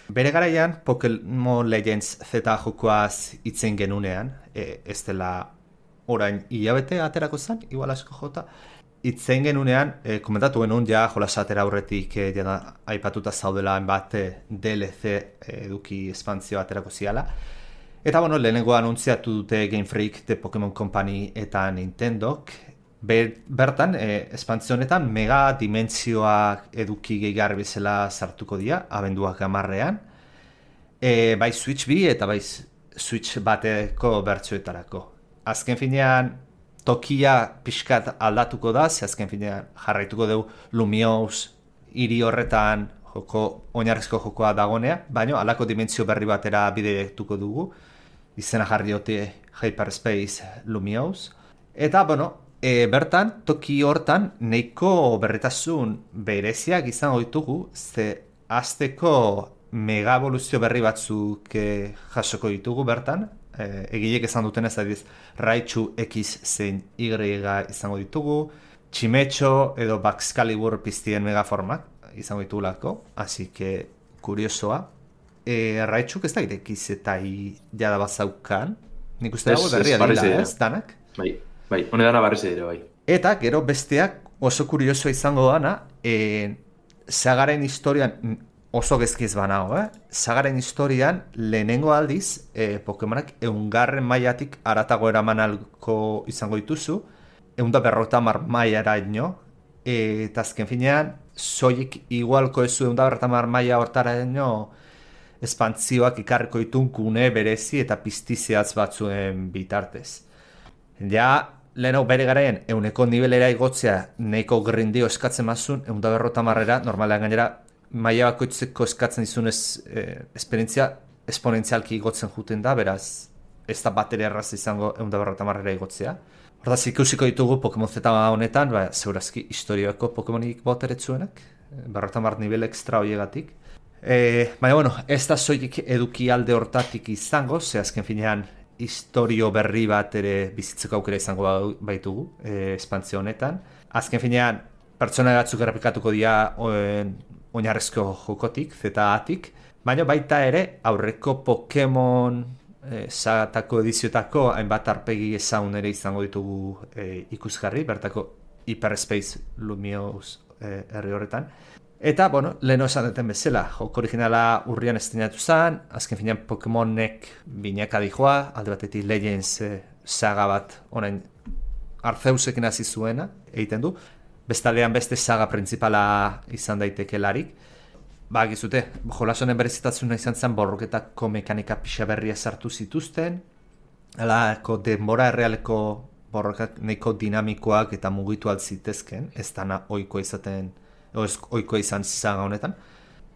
Bere garaian, Pokémon Legends Z jokoaz itzen genunean, ez dela orain hilabete aterako zen, igual asko jota, itzen genunean, komentatu genuen ja jolasatera aurretik aipatuta zaudela bat DLC eduki espantzio aterako ziala. Eta lehenengo anuntziatu dute Game Freak, The Pokémon Company eta Nintendok, bertan, espantzionetan mega dimentsioak eduki gehigarri bezala sartuko dira, abenduak 10ean, bai Switch bi eta bai Switch bateko bertsioetarako. Azken finean, tokia pixkat aldatuko da, azken finean jarraituko dugu Lumiose hiri horretan oinarrizko jokoa dagonea, baina halako dimentsio berri batera bidetuko dugu, izena jarri diote Hyperspace Lumiose, eta, bertan, toki hortan, nahiko berritasun bereziak izango ditugu, ze azteko mega evoluzio berri batzuk jasoko ditugu bertan, egilek esan duten ez adiz, Raichu X zein Y izango ditugu, Chimecho edo Baxcalibur piztien megaformak izango ditugulako, así que kuriosoa. Raichuk ez da X eta Y jada bazaukan, Nik uste dago berria dira, ez, danak? Bai, hone dana barriz ere, bai. Eta, gero besteak oso kuriosoa izango dana, sagaren historian, oso gezkiz banago, sagaren historian lehenengo aldiz, Pokemonak 100. mailatik aratago eraman alko izango dituzu, 150 mailara ino, eta azken finean, soilik igualko ezu 150 maila hortara ino, espantzioak ikarriko itunkune berezi eta piztizeatz batzuen bitartez. Ja, lehenago bere garaien, 100 nivelera igotzea nahiko grindio eskatzen mazun, 150 normalean gainera, maila bakoitzeko eskatzen dizunez esperientzia esponentzialki igotzen juten da, beraz, ez da batera erraz izango 150 igotzea. Hortaz, ikusiko ditugu Pokemon Z honetan, zeurazki historioako Pokemonik boteretzuenak, 150 nivel extra hoiegatik. Baina, bueno, ez da soilik eduki alde hortatik izango, ze azken finean historio berri bat ere bizitzeko aukera izango baitugu, espantzio honetan. Azken finean, pertsona batzuk errepikatuko dira oinarrezko jokotik, Z-atik, baina baita ere aurreko Pokemon sagatako edizioetako hainbat arpegi ezagun ere izango ditugu ikusgarri, bertako Hyperspace Lumiose herri horretan. Eta, bueno, leheno esan duten bezala, joko originala urrian estrenatu zen, azken finean Pokemonek binaka dijoa, alde batetik Legends saga bat orain Arceusekin hasi zuena egiten du, bestaldean beste saga principala izan daitekelarik. Gizute, jolasonen berezitasuna izan zen borroketako mekanika pixa berria sartu zituzten, alako denbora errealeko borrokak nahiko dinamikoak eta mugitu altzitezken, ez dana ohikoa izan saga honetan.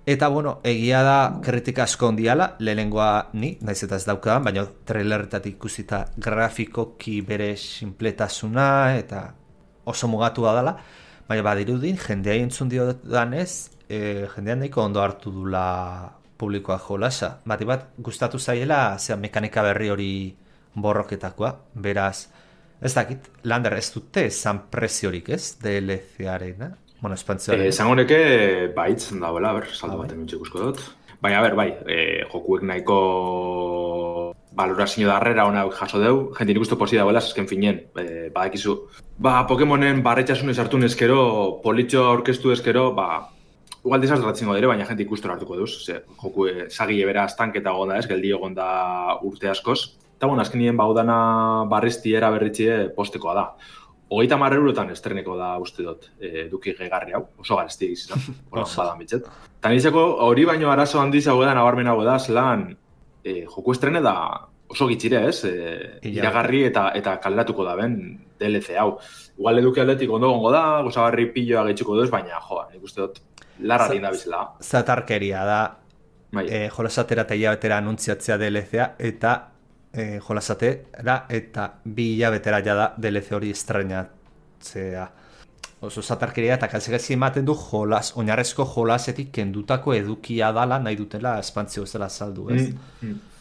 Eta, bueno, egia da kritika asko ondiala, lehenengoa ni, naiz eta ez daukadan, baina trailerretatik ikusita grafikoki bere sinpletasuna eta oso mugatu dela, baina badirudin, jendea entzun dio danez, jendean nahiko ondo hartu dula publikoa jolasa. Bat gustatu zaiela, mekanika berri hori borroketakoa, beraz, ez dakit, Lander ez dute esan preziorik ez, DLC-arena? Bueno, espantzioaren. Esan honeke, baitzen dagoela, saldo bat emintxe ikusko dut. Baina, jokuek nahiko valorazio darrera ona jaso deu, jente nik uste posi dagoela, azken finien, badakizu. Pokemonen barretxasun esartu neskero, politxo aurkeztu eskero, igual desasratzen godere, baina jente ikustora hartuko duz. Joku sagile bera estanketa gonda ez, geldi egon da urte askoz. Eta, bueno, azken nien baudana barriztiera berritxie postekoa da. 30 eurotan estreneko da uste dut eduki gehigarri hau, oso garezti egizizan, badan bitzet. Eta nizako hori baino arazo handiz hau da, nabarmen hau da, zelan joku estrene da oso gitxire ez, iragarri eta kaleratuko da ben DLC hau. Igual eduki aldetik ondo gongo da, gozagarri pilloa gehitxuko duz, baina nik uste dut larra linda bizela. Zatarkeria da, jolasatera eta hilabetera anuntziatzea DLC-a, eta jolasatera eta 2 hilabetera jada DLC hori estrenatzea. Oso zatarkeria eta kalzegezi ematen du oinarrezko jolasetik kendutako edukia dala nahi dutela espantzio bezala saldu, ez?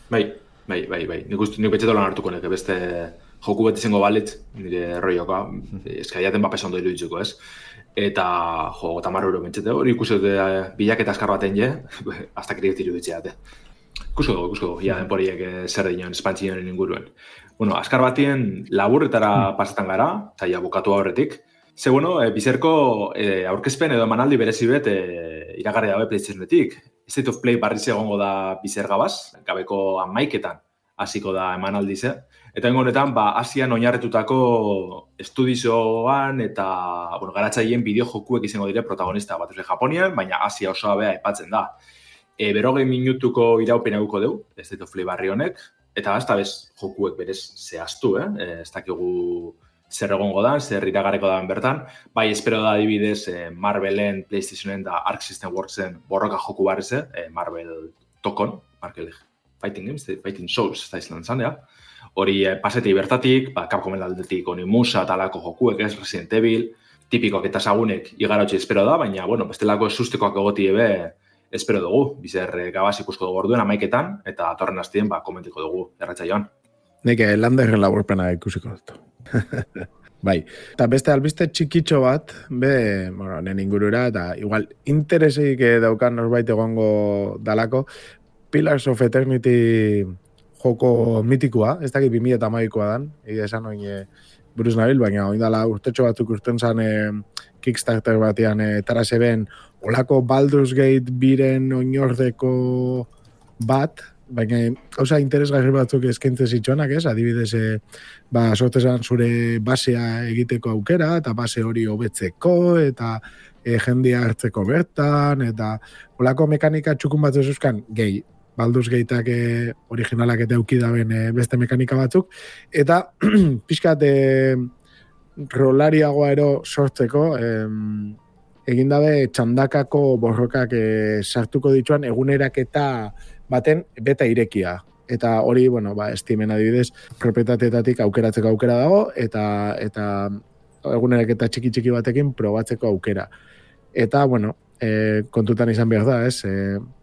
Bai. Nik betxeto lan hartuko neke, beste joku beti zengo balitz, nire rolloka, eskaiaten bapesa ondo iruditzuko, ez? Eta, 50 euro bentsete, hori ikusi dute bilaketa askar baten je, hasta kriet iruditzeate. Ikusko, ja denporiek zer dinon espantzioen inguruen. Bueno, askar batien laburretara pasetan gara, zaila bukatu horretik. Ze, bueno, bizerko aurkezpen edo emanaldi berezi bet iragarri dabe PlayStationetik. State of Play barriz egongo da bizer gabaz, gabeko 11etan hasiko da emanaldi ze. Eta honetan, Asian oinarretutako estudizoan eta garatzaileen bideo jokuek izango dire protagonista bat Japonian, baina Asia osoa bea aipatzen da. 40 minutuko iraupena guko deu, State of Play barri honek, eta ez da bez jokuek berez zehaztu, ez dakigu zer egongo da, zer iragarreko da bertan. Bai, espero da adibidez Marvelen, PlayStationen da Arc System Worksen borroka joku barrize, Marvel Tokon, Marvel Fighting Games, Fighting Souls, ez da izan zan, hori paseti bertatik, Capcomen aldetik Onimusa talako jokuek, ez Resident Evil, tipikoak eta sagunek igarotxe espero da, baina, bestelako esustekoak egoti ebe, espero dugu, bizer gabaz ikusko dugu orduen 11etan, eta atorren hastien komentiko dugu erratzaioan. Nik Landerren laburpena ikusiko dut. Bai, eta beste albiste txikitxo bat, nen ingurura, eta igual interesik daukan norbait egongo dalako, Pillars of Eternity joko mitikoa, ez dakit 2012koa dan, esan oin buruz nabil, baina oindala urtetxo batzuk urten zan Kickstarter batean taraseben olako Baldur's Gate biren oinordeko bat, baina gauza interesgarri batzuk eskaintzen zitsuanak, ez? Adibidez, sortezan zure basea egiteko aukera, eta base hori hobetzeko, eta jendia hartzeko bertan, eta olako mekanika txukun batzu euskan, gehi, Baldur's Gateak originalak eta eukidaben beste mekanika batzuk, eta pixkat rolariagoa ero sortzeko, egin dabe txandakako borrokak sartuko dituan eguneraketa baten beta irekia. Eta hori, Steamen adibidez, propietateetatik aukeratzeko aukera dago, eta eguneraketa txiki batekin probatzeko aukera. Eta, kontutan izan behar da, ez?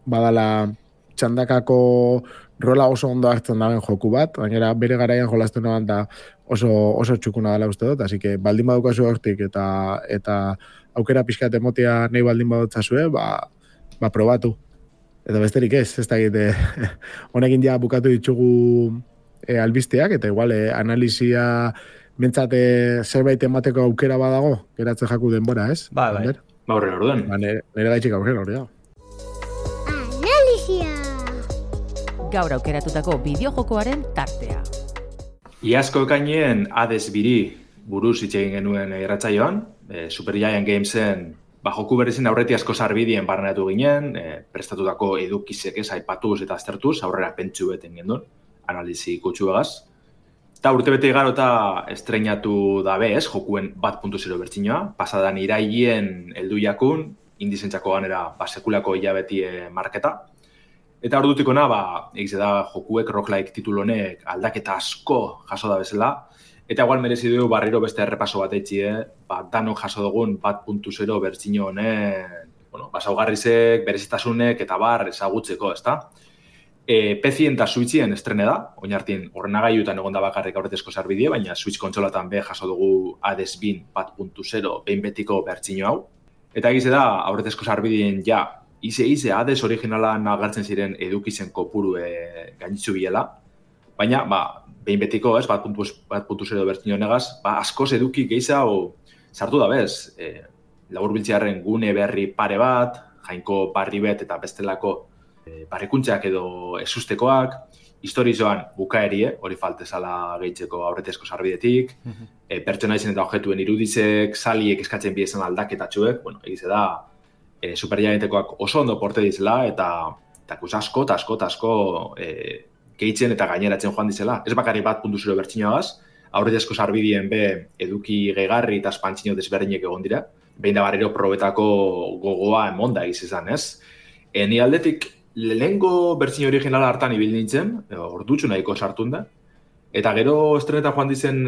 Badala txandakako rola oso ondo hartzen daben joku bat, baina bere garaian jolazten dagoen da oso txukuna dela uste dut, así que baldin badukazu hortik eta aukera pixkat emotia nahi baldin badutzazue, probatu. Eta besterik ez da egite, honekin ja bukatu ditugu albisteak, eta igual analizia bentsat zerbait emateko aukera badago, geratzen jaku denbora, ez? Bai. Horren orduen. Nire gaitxik aurren hori da. Gaur aukeratutako bideojokoaren tartea. Iazko ekainien Hades biri buruz hitz egin genuen irratsaioan, Super Giant Gamesen joku berrizin aurreti asko sarbidien barneratu ginen, prestatutako edukizek aipatuz eta aztertuz, aurrera pentsu beten gendun, analizi kutsuegaz. Eta urtebete igaro eta estreinatu dabe jokuen 1.0 bertsinoa, pasadan iraien heldu jakun, indizentzako ganera sekulako hilabeti marketa. Eta ordutik ona, egize da jokuek roguelike titulu honek aldaketa asko jaso da bezala, eta igual merezi du barriro beste errepaso bat eitxie, danok jaso dugun 1.0 bertsino honen, saugarrizek, berezitasunek eta ezagutzeko, ezta? PC-en eta Switchen estrene da, oinartien ordenagailuetan egon da bakarrik aurretezko sarbidie, baina Switch kontsolatan jaso dugu Hades bin 1.0 behin betiko bertsino hau. Eta egize da, aurretezko sarbidien Ize Hades originalan agertzen ziren edukizen kopuru gainitzu biela, baina, behin betiko, 1.0 bertsino negaz, askoz eduki gehiza sartu da bez. Laburbiltzearen gune berri pare bat, jainko barri bet eta bestelako barrikuntzeak edo ezustekoak, historizoan bukaerie, hori faltezala gehitzeko aurretezko sarbidetik, pertsonaizen eta objektuen irudizek, saliek eskatzen biezan aldaketatxuek, egize da, Super Giantekoak oso ondo porte dizela eta asko gehitzen eta gaineratzen joan dizela. Ez bakarri 1.0 bertsinoagaz, aurretezko sarbidien eduki gehigarri eta espantzino desberdinek egon dira. Behin da barriro probetako gogoa emonda egizizan, ez? Ni aldetik, lehengo bertsino originala hartan ibil nintzen, ordutxu nahiko sartun da, eta gero estrenetan joan dizen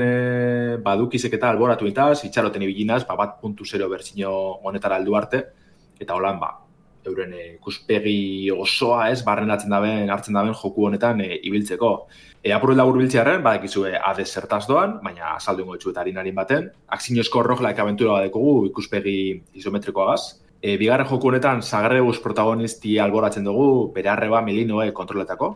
badukizek eta alboratu itaz, itxaroten ibilinaz, 1.0 bertsino honetara heldu arte, eta holan, euren ikuspegi osoa barrenatzen hartzen daben joku honetan ibiltzeko. Apurret labur biltzearen, badakizue Hades zertaz doan, baina azaldu ingo etxu eta harinarin baten. Akzinozko roguelike aventura badekogu ikuspegi isometrikoagaz. Bigarren joku honetan Zagreus protagonisti alboratzen dugu, bere arreba Melinoe kontroletako,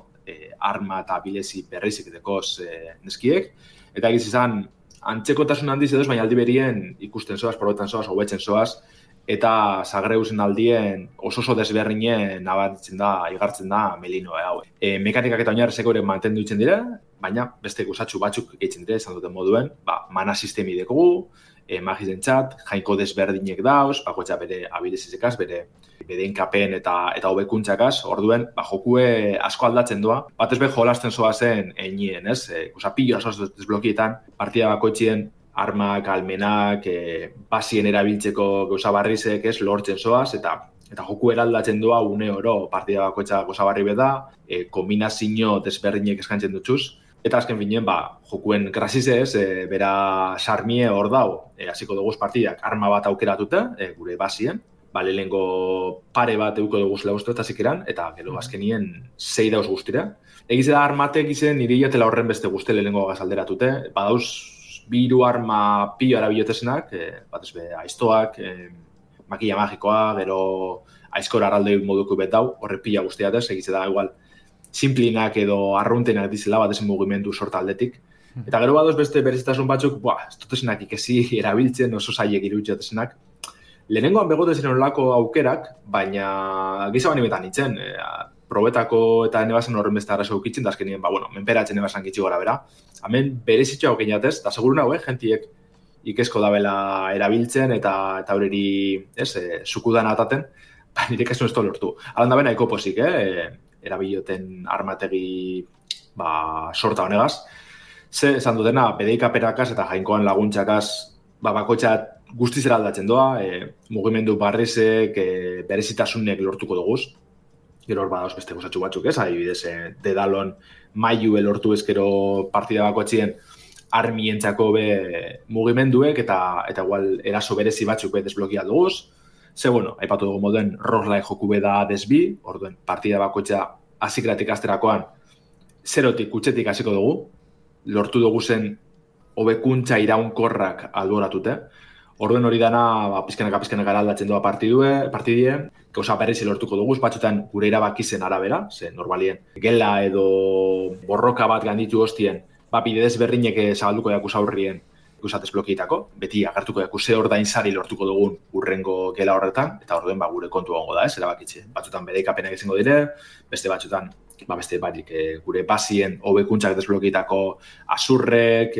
arma eta bilezi berrizik dekoz neskiek. Eta egiz izan, antzekotasun handiz edoz, baina aldi berien ikusten zoaz, probetan zoaz, hobetzen zoaz, eta Zagreusen aldien oso desberdinen igartzen da Melinoe hau. Mekanikak eta oinarrizeko ere mantendu ditzen dira, baina beste gozatxu batzuk gehitzen dira, esan duten moduen, mana sistemi dekogu, magizentzat, jainko desberdinek dauz, bakoetza bere abilezizekaz, bere enkapen eta hobekuntzakaz, orduen, jokue asko aldatzen doa, batez jolasten zoa zen einien, ez? Pillo asoz desblokietan, partida bakoetzien armak, almenak, basien erabiltzeko gauza barrizek, lortzen zoaz, eta joku eraldatzen doa une oro partida bakoetza gauza barri beda, kombinazio desberdinek eskantzen dutxuz, eta azken finen, jokuen grasizez, bera sarmie hor dau, hasiko dugu partidak arma bat aukeratute, gure basien, lehenko pare bat euko dugu zela uste eta zikeran, eta gero azkenien 6 dauz guztira. Egize da armatek izen nire jatela horren beste guzti lehenko gazalderatute, badauz biru arma pilo arabilotesenak, batez aiztoak, makilla magikoa, gero aizkor arraldoi moduko bet dau, horre pila guztiatez, egize da igual simplinak edo arruntenak dizela bat ezen mugimendu sorta aldetik. Eta gero badoz beste berezitasun batzuk, ez dutesenak ikesi erabiltzen oso zailek iruditzatesenak. Lehenengoan begote ziren olako aukerak, baina giza bani betan nintzen, probetako eta nebazen horren beste arazo ukitzen, da azkenien, menperatzen nebazen gitzi gora bera. Hemen berezitxo hauken jatez, da seguru nago, jentiek ikesko dabela erabiltzen eta horreri, zukudan ataten, nire kasun ez to lortu. Alan da bena ekopozik, erabiloten armategi sorta honegaz. Ze, esan dutena, bedeikaperakaz eta jainkoan laguntzakaz, bakoitza guztizera aldatzen doa, mugimendu barrizek, berezitasunek lortuko duguz. Gero hor badauz beste gozatxu batzuk, adibidez, dedalon mailu lortu ezkero partida bakoitzien armientzako mugimenduek eta igual eraso berezi batzuk desblokia duguz. Ze, aipatu dugu moden roguelike joku da desbi, orduen partida bakoitza hasikratik asterakoan zerotik kutxetik hasiko dugu, lortu dugu zen hobekuntza iraunkorrak alboratute. Orduen hori dana, pizkenaka aldatzen doa partidie, gauza berrizi lortuko dugu, batzutan gure erabakizen arabera, ze normalien gela edo borroka bat ganditu hostien, bide desberdinek zabalduko jakuz aurrien ikusatez blokietako, beti agertuko jakuz ze ordainsari lortuko dugun urrengo gela horretan, eta orduen gure kontu gongo da, erabakitze. Batzutan bedeikapenak izango dire, beste batzutan beste batik gure basien hobekuntzak desblokietako azurrek,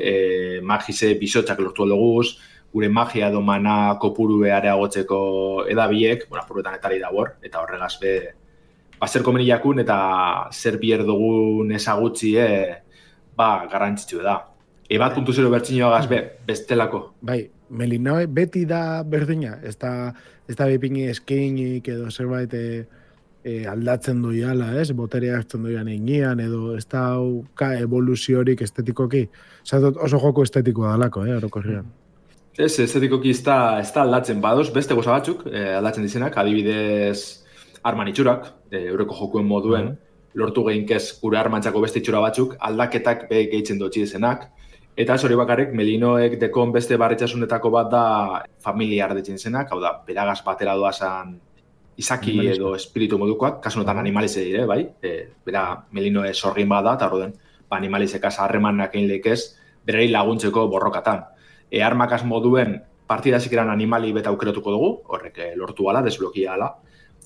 magise bisotxak lortu duguz, gure magia edo mana kopuru areagotzeko edabiek, apuruetan etari dabor, eta horregaz zer komeni jakun eta zer bier dugun ezagutzi garrantzitsu da. Ebat puntu zero bertxinoagaz bestelako. Bai, Melinoe beti da berdina, ez da bepini eskeinik edo zerbait aldatzen doiala, boterea hartzen doian egian, edo ez da evoluziorik estetikoki. Oso joko estetikoa dalako, orokorrean. Ez, estetikoki ez da aldatzen badoz, beste goza batzuk aldatzen dizenak, adibidez arman itxurak, eureko jokuen moduen, lortu gehinkez gure armantzako beste itxura batzuk, aldaketak gehitzen dutxi dezenak, eta ez hori bakarrik, Melinoek dekon beste barritxasunetako bat da familia ardetzen zenak, hau da, beragaz batera doazan izaki edo espiritu modukoak, kasunotan animalize dire, bai? Bera Melinoe sorgin bat da, eta horren, animalizekaz harremanak egin lekez, berari laguntzeko borrokatan. Armakaz moduen partidazik eran animali beta aukeratuko dugu, horrek lortu ala, desblokia ala.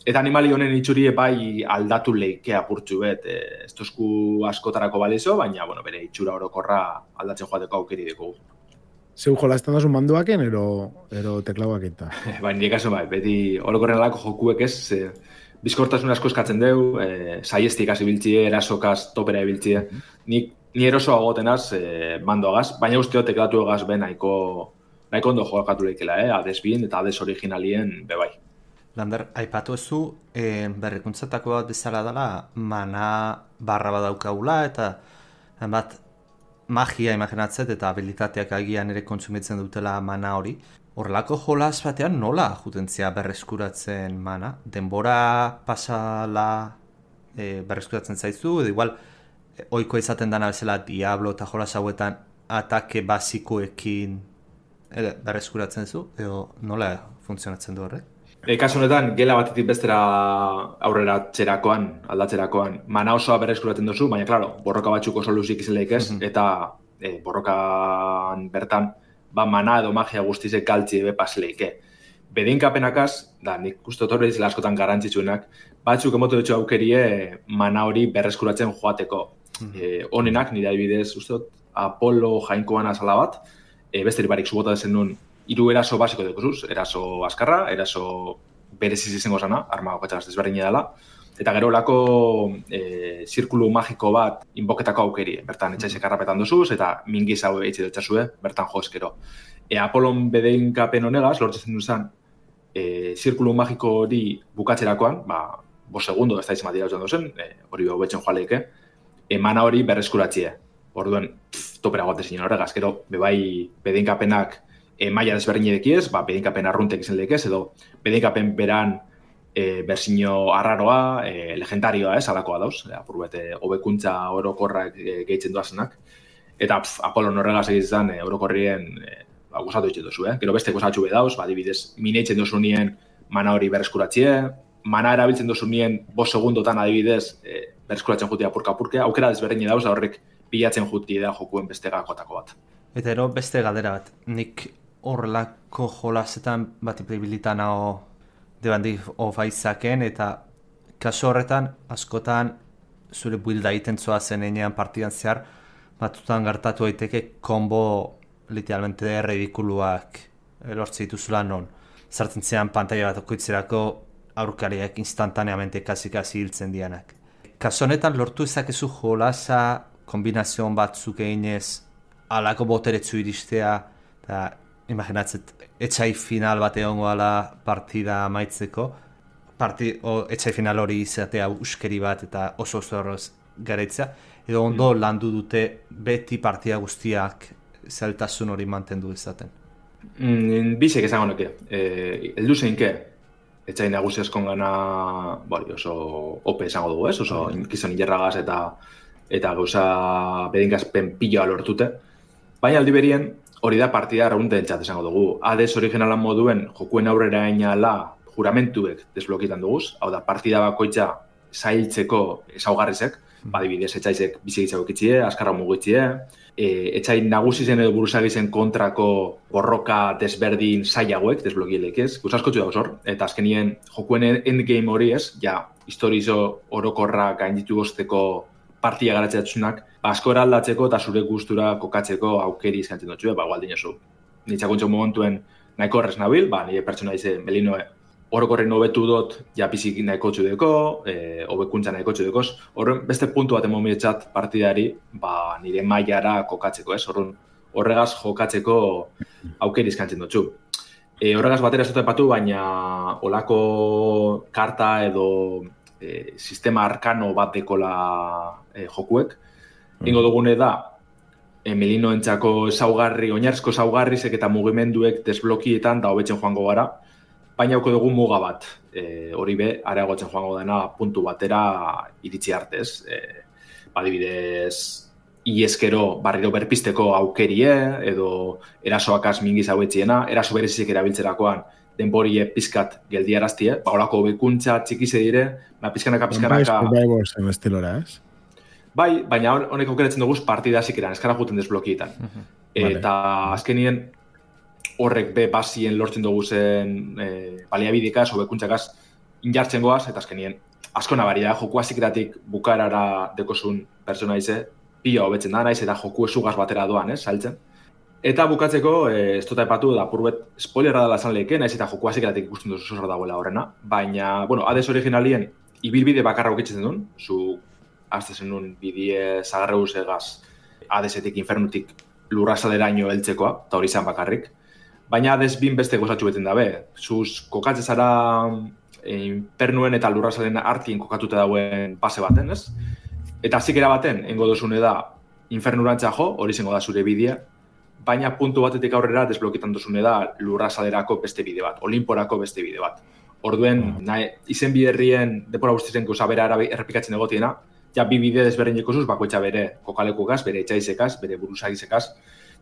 Eta animali honen itxuri bai aldatu leike apurtxu ez tozku askotarako balizo, baina bere itxura orokorra aldatzen joateko aukeri dugu. Zeu jolazten dazun manduaken, ero teklauak eta? Baina nire kaso beti orokorren alako jokuek bizkortasun asko eskatzen deu, saiestik hasi biltzie, erasokaz topera ebiltzie. Ni erosoa gotenaz mandoagaz, baina usteo teklatu egaz nahiko ondo jokatu lehikela, adesbien eta ades originalien bebai. Lander, aipatu ezu, berrikuntzatako bat bezala dela, mana barra badaukagula eta bat magia imaginatzet eta habilitateak agian ere kontsumitzen dutela mana hori. Horrelako jolas batean nola jutentzia berreskuratzen mana? Denbora pasala berreskuratzen zaizu, edo igual ohiko izaten dana bezala Diablo eta jolas hauetan atake basikoekin berreskuratzen zu, edo nola funtzionatzen du horrek? Kasu honetan, gela batetik bestera aurrera aldatzerakoan, mana osoa berreskuratzen duzu, baina, klaro, borroka batzuk oso luzik izan lehikez, eta borrokan bertan, mana edo magia guztizek galtzi pas lehike. Bedeinkapenakaz, nik uste horre izela askotan garantzitsuenak, batzuk emotu dutxo aukerie mana hori berreskuratzen joateko. Honenak, nire adibidez, uste Apollo jainkoan azala bat, beste barik subota dezen nuen, 3 eraso basiko dekozuz, eraso askarra, eraso bereziz izango zana, arma okatxagaz desberdina dela, eta gero lako zirkulu magiko bat inboketako aukeri, bertan etxaizek arrapetan duzuz, eta mingiz hau eitxe dutxazue, bertan jozkero. Apollon bedeinkapen honegaz, lortzen duzan, zirkulu magiko hori bukatzerakoan, 5 segundo ez da izan batira duzen, hori behobetzen joaleike, mana hori berreskuratzie. Orduen, topera gote zinen horregaz, gero, bebai bedeinkapenak maila desberdin edekiez, bedeinkapen arruntek izan lekez, edo bedeinkapen beran berzino arraroa, legendarioa alakoa dauz, apurbete hobekuntza orokorrak gehitzen duazenak, eta Apollon horregaz egizan orokorrien gozatu ditzen duzu, gero beste gozatxu bedauz, adibidez, mineitzen duzu nien mana hori berreskuratzie, mana erabiltzen duzu nien 5 segundotan adibidez berskuratzen juti apurka-apurke, aukera desberdin dauz, horrek bilatzen juti da jokuen beste gakotako bat. Eta ero beste galdera bat, nik horrelako jolasetan bat ipribilitan hau debandi ofaizaken, eta kaso horretan askotan zure builda egiten zoazen enean partidan zehar, batutan gertatu daiteke kombo literalmente ridikuluak lortze dituzula non. Zartzen zean pantalla bat okoitzerako aurkariak instantaneamente kasi hiltzen dianak. Kaso honetan lortu ezakezu jolasa kombinazion batzuk eginez alako boteretzu iristea, eta imaginatzet etxai final bat egongo ala partida amaitzeko, etxai final hori izatea uskeri bat eta oso horroz garaitzea, edo ondo landu dute beti partida guztiak zeltasun hori mantendu izaten. Bizek esango nuke, eldu zeinke, etxai nagusi eskon gana oso ope esango dugu, ez? Oso inkizon injerragaz eta gauza bedingazpen piloa lortute. Baina aldi berien, hori da partida raunten txat esango dugu. Hades originalan moduen jokuen aurrera ainala juramentuek desblokitan duguz, hau da partida bakoitza zailtzeko ezaugarrizek, badibidez etxaizek bizigitzako kitxie, askarra mugitxie, etxai nagusizen edo buruzagizen kontrako borroka desberdin zailagoek, desblokielek ez, guzaskotxu dauz hor, eta azkenien jokuen endgame hori ez, ja, historizo orokorra gainditu gozteko partia garatzeatzunak, askora aldatzeko eta zure gustura kokatzeko aukeri izkantzen dutxu, gualdin oso. Nitzakuntxo momentuen nahiko horrez nabil, nire pertsona ize Melinoe orokorren hobetu dut, ja pizik nahiko txudeko, hobekuntza nahiko txudekoz. Horren beste puntu bat emomietxat partidari, nire mailara kokatzeko, ez? Horregaz jokatzeko aukeri izkantzen dutxu. Horregaz batera ez dut epatu, baina olako karta edo sistema arkano bat dekola jokuek. Ingo dugune da, Melinoentzako ezaugarri, oinarrizko ezaugarrizek eta mugimenduek desblokietan da hobetzen joango gara, baina hauko dugu muga bat, hori be, areagotzen joango dena puntu batera iritsi artez. Adibidez, ieskero barriro berpisteko aukerie, edo erasoakaz mingiz hauetziena, eraso berezik erabiltzerakoan denborie pizkat geldiaraztie, horako hobekuntza txikize dire, pizkanaka. Bai, estilora, ez? Bai, baina honek aukeratzen dugu partida zikeran, eskara juten desblokietan. Eta azkenien horrek be basien lortzen dugu zen baliabidikaz, hobekuntzakaz injartzen goaz, eta azkenien asko nabari da, joku azikeratik bukarara dekozun persona ize, pila hobetzen da, naiz, eta joku esugaz batera doan, saltzen. Eta bukatzeko, ez dut aipatu, da purbet spoilerra dela esan lehike, naiz eta joku azikeratik ikusten duzu zor dagoela horrena, baina, Hades originalien ibilbide bakarra ukitzen duen, zu aztezen nuen bidie zagarre egaz Hadesetik, infernutik lurrazaleraino heltzekoa, eta hori izan bakarrik. Baina Hades bin beste gozatxu beten dabe. Zuz kokatze zara infernuen eta lurrazalen artien kokatuta dauen pase baten, ez? Eta zikera baten, engo dozune da, infernurantza jo, hori zengo da zure bidea, baina puntu batetik aurrera desblokitan dozune da lurrazalerako beste bide bat, olimporako beste bide bat. Orduen, izen biderrien depora guztizen gauza bera errepikatzen egotiena, ja bi bide desberdineko zuz, bakoitza bere kokalekukaz, bere etxaizekaz, bere buruzagizekaz,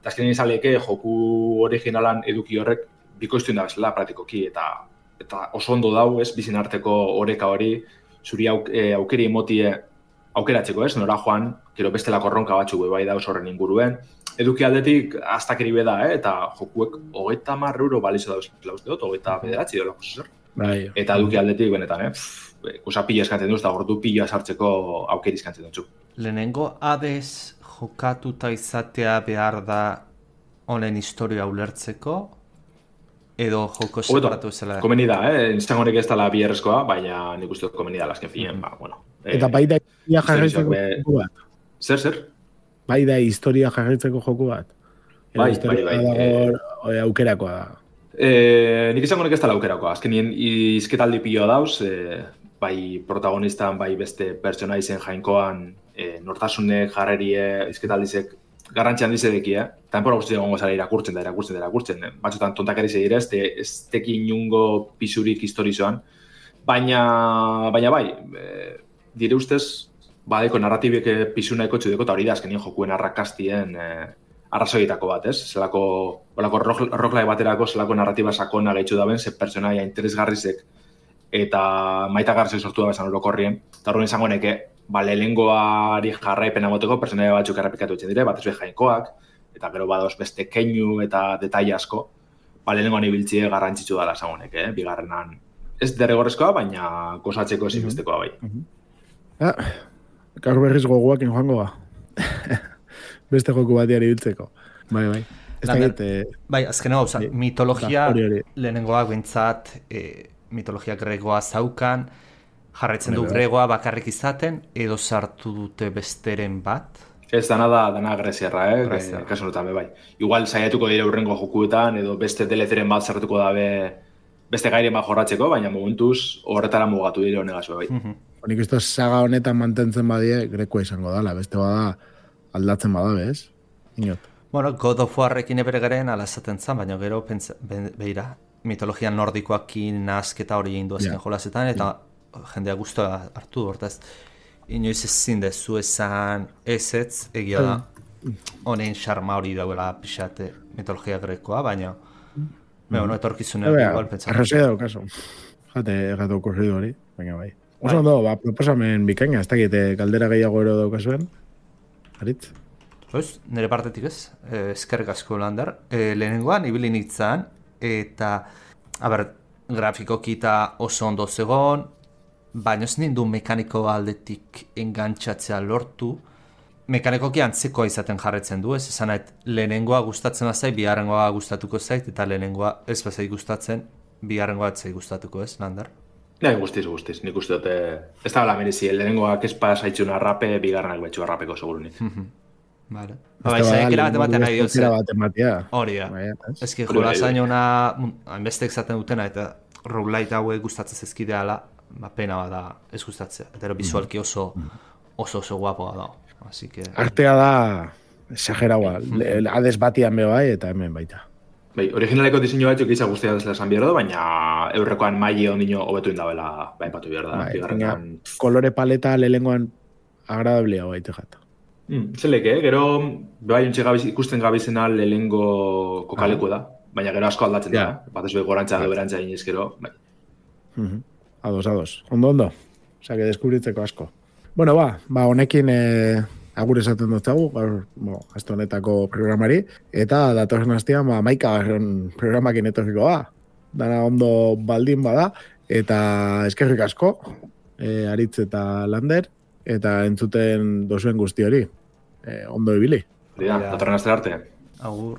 eta azkenean izaleke joku originalan eduki horrek bikoiztuen da bezala praktikoki, eta oso ondo dau, ez, bizin arteko oreka hori, zuri aukeri emotie aukeratzeko, ez, nora joan, gero bestelako ronka batzuk bai dauz horren inguruen, eduki aldetik aztakeri beda, eta jokuek 30 euro balizo dauz, uste dut, 29 dolako zer. Eta eduki aldetik benetan, kusa pila eskantzen duz, eta gordu pila sartzeko aukeri eskantzen dutzu. Lehenengo Hades jokatuta izatea behar da honen historia ulertzeko, edo joko separatu zela? Komeni da, izan honek ez dala bierrezkoa, baina nik uste komeni da lasken finen, Eta bai da historia jarraitzeko joku bat? Zer? Bai da historia jarraitzeko joku bat? Bai. Aukerakoa da. Nik izango nek ez dala aukerakoa. Azkenien izketaldi pilo dauz, bai protagonistan, bai beste pertsonaizen jainkoan, nortasunek, jarrerie, izketaldizek garrantzian dizedeki, eta enpora guzti egongo zara irakurtzen. Batzutan tontakari zegire, ez teki inungo pisurik historizoan, baina bai, dire ustez, badeko narratibek pisu nahiko txudeko, eta hori da azkenien jokuen arrakastien arrazoietako bat, ez? Zelako roguelike baterako, zelako narratiba sakona gehitzu daben, ze pertsonaia interesgarrizek eta maitagarrizek sortu da bezan orokorrien, eta horren izango neke, lehengoari jarraipena moteko personaia batzuk errepikatu itzen dire, batez jainkoak, eta gero badoz beste keinu eta detaile asko, lehengoan ibiltzie garrantzitsu dala esagunek, bigarrenan. Ez derrigorrezkoa, baina gozatzeko ezinbestekoa bai. Gaur berriz goguak joango ba. Beste joku batiari biltzeko. Bai. Bai, azken hau, mitologia lehenengoak bintzat, mitologia gregoa zaukan, jarraitzen du gregoa bakarrik izaten, edo sartu dute besteren bat? Ez dana greziarra, kasu notan, bai. Igual saiatuko dire urrengo jokuetan, edo beste DLCren bat sartuko dabe beste gairen bat jorratzeko, baina momentuz horretara mugatu dire honegazua, bai. Nik uste saga honetan mantentzen badie, grekoa izango dala, beste bada aldatzen badabe, ez? Inot. Bueno, God of Warrekin ebere garen ala esaten zan, baina gero behira, mitologia nordikoakin nazketa hori egin duazken jolasetan, eta jendea guztua hartu hortaz. Inoiz ezin dezu esan ezetz, egia da, honen xarma hori dauela pixate mitologia grekoa, baina etorkizunean igual pentsatzen. Arrazia dago, kaso. Jate okurridu hori, baina bai. Oso ondo, proposamen bikaina, ez dakit galdera gehiago ero daukazuen, Aritz? Nire partetik ez, eskerrik asko Lander. Lehenengoan, ibili nintzen, eta, grafikoki eta oso ondo zegoen, baina ez nindu mekaniko aldetik engantzatzea lortu. Mekanikoki antzekoa izaten jarretzen du, ez esan nahi, lehenengoa gustatzen bazait, bigarrengoa gustatuko zait, eta lehenengoa ez bazait gustatzen, bigarrengoa ez zait gustatuko ez, Lander? Nahi, guztiz, nik uste dute, ez da bala merezi, lehenengoak ez pasaitzun arrape, bigarrenak betxu arrapeko segurunik. Vale. Zainekera bat ematen nahi diotzen. Hori da. Ez ki jolasain hona, hainbestek zaten dutena, eta roguelite hauek gustatzen zezkideala, pena bada ez gustatzea. Eta bizualki oso guapoa da. Artea da, exageraua, ades batian bai eta hemen baita. Originaleko diseinu batzuk izan guztia dezela esan behar da, baina eurrekoan maile ondino hobetu indabela baipatu behar da. Kolore paleta lehengoan agradablea baita jata. Zeleke, gero ikusten gabizena lehengo kokaleko da, baina gero asko aldatzen da, bat ez gorantza edo berantza iniz gero. Ados. Ondo. Osake, deskubritzeko asko. Bueno, honekin agur esaten duztagu, aste honetako programari, eta datorren astean, maikagarren programakin etorriko dana ondo baldin bada, eta eskerrik asko, Aritz eta Lander, eta entzuten dozuen guzti hori. Ondo ibili. Datorren aste arte. Agur.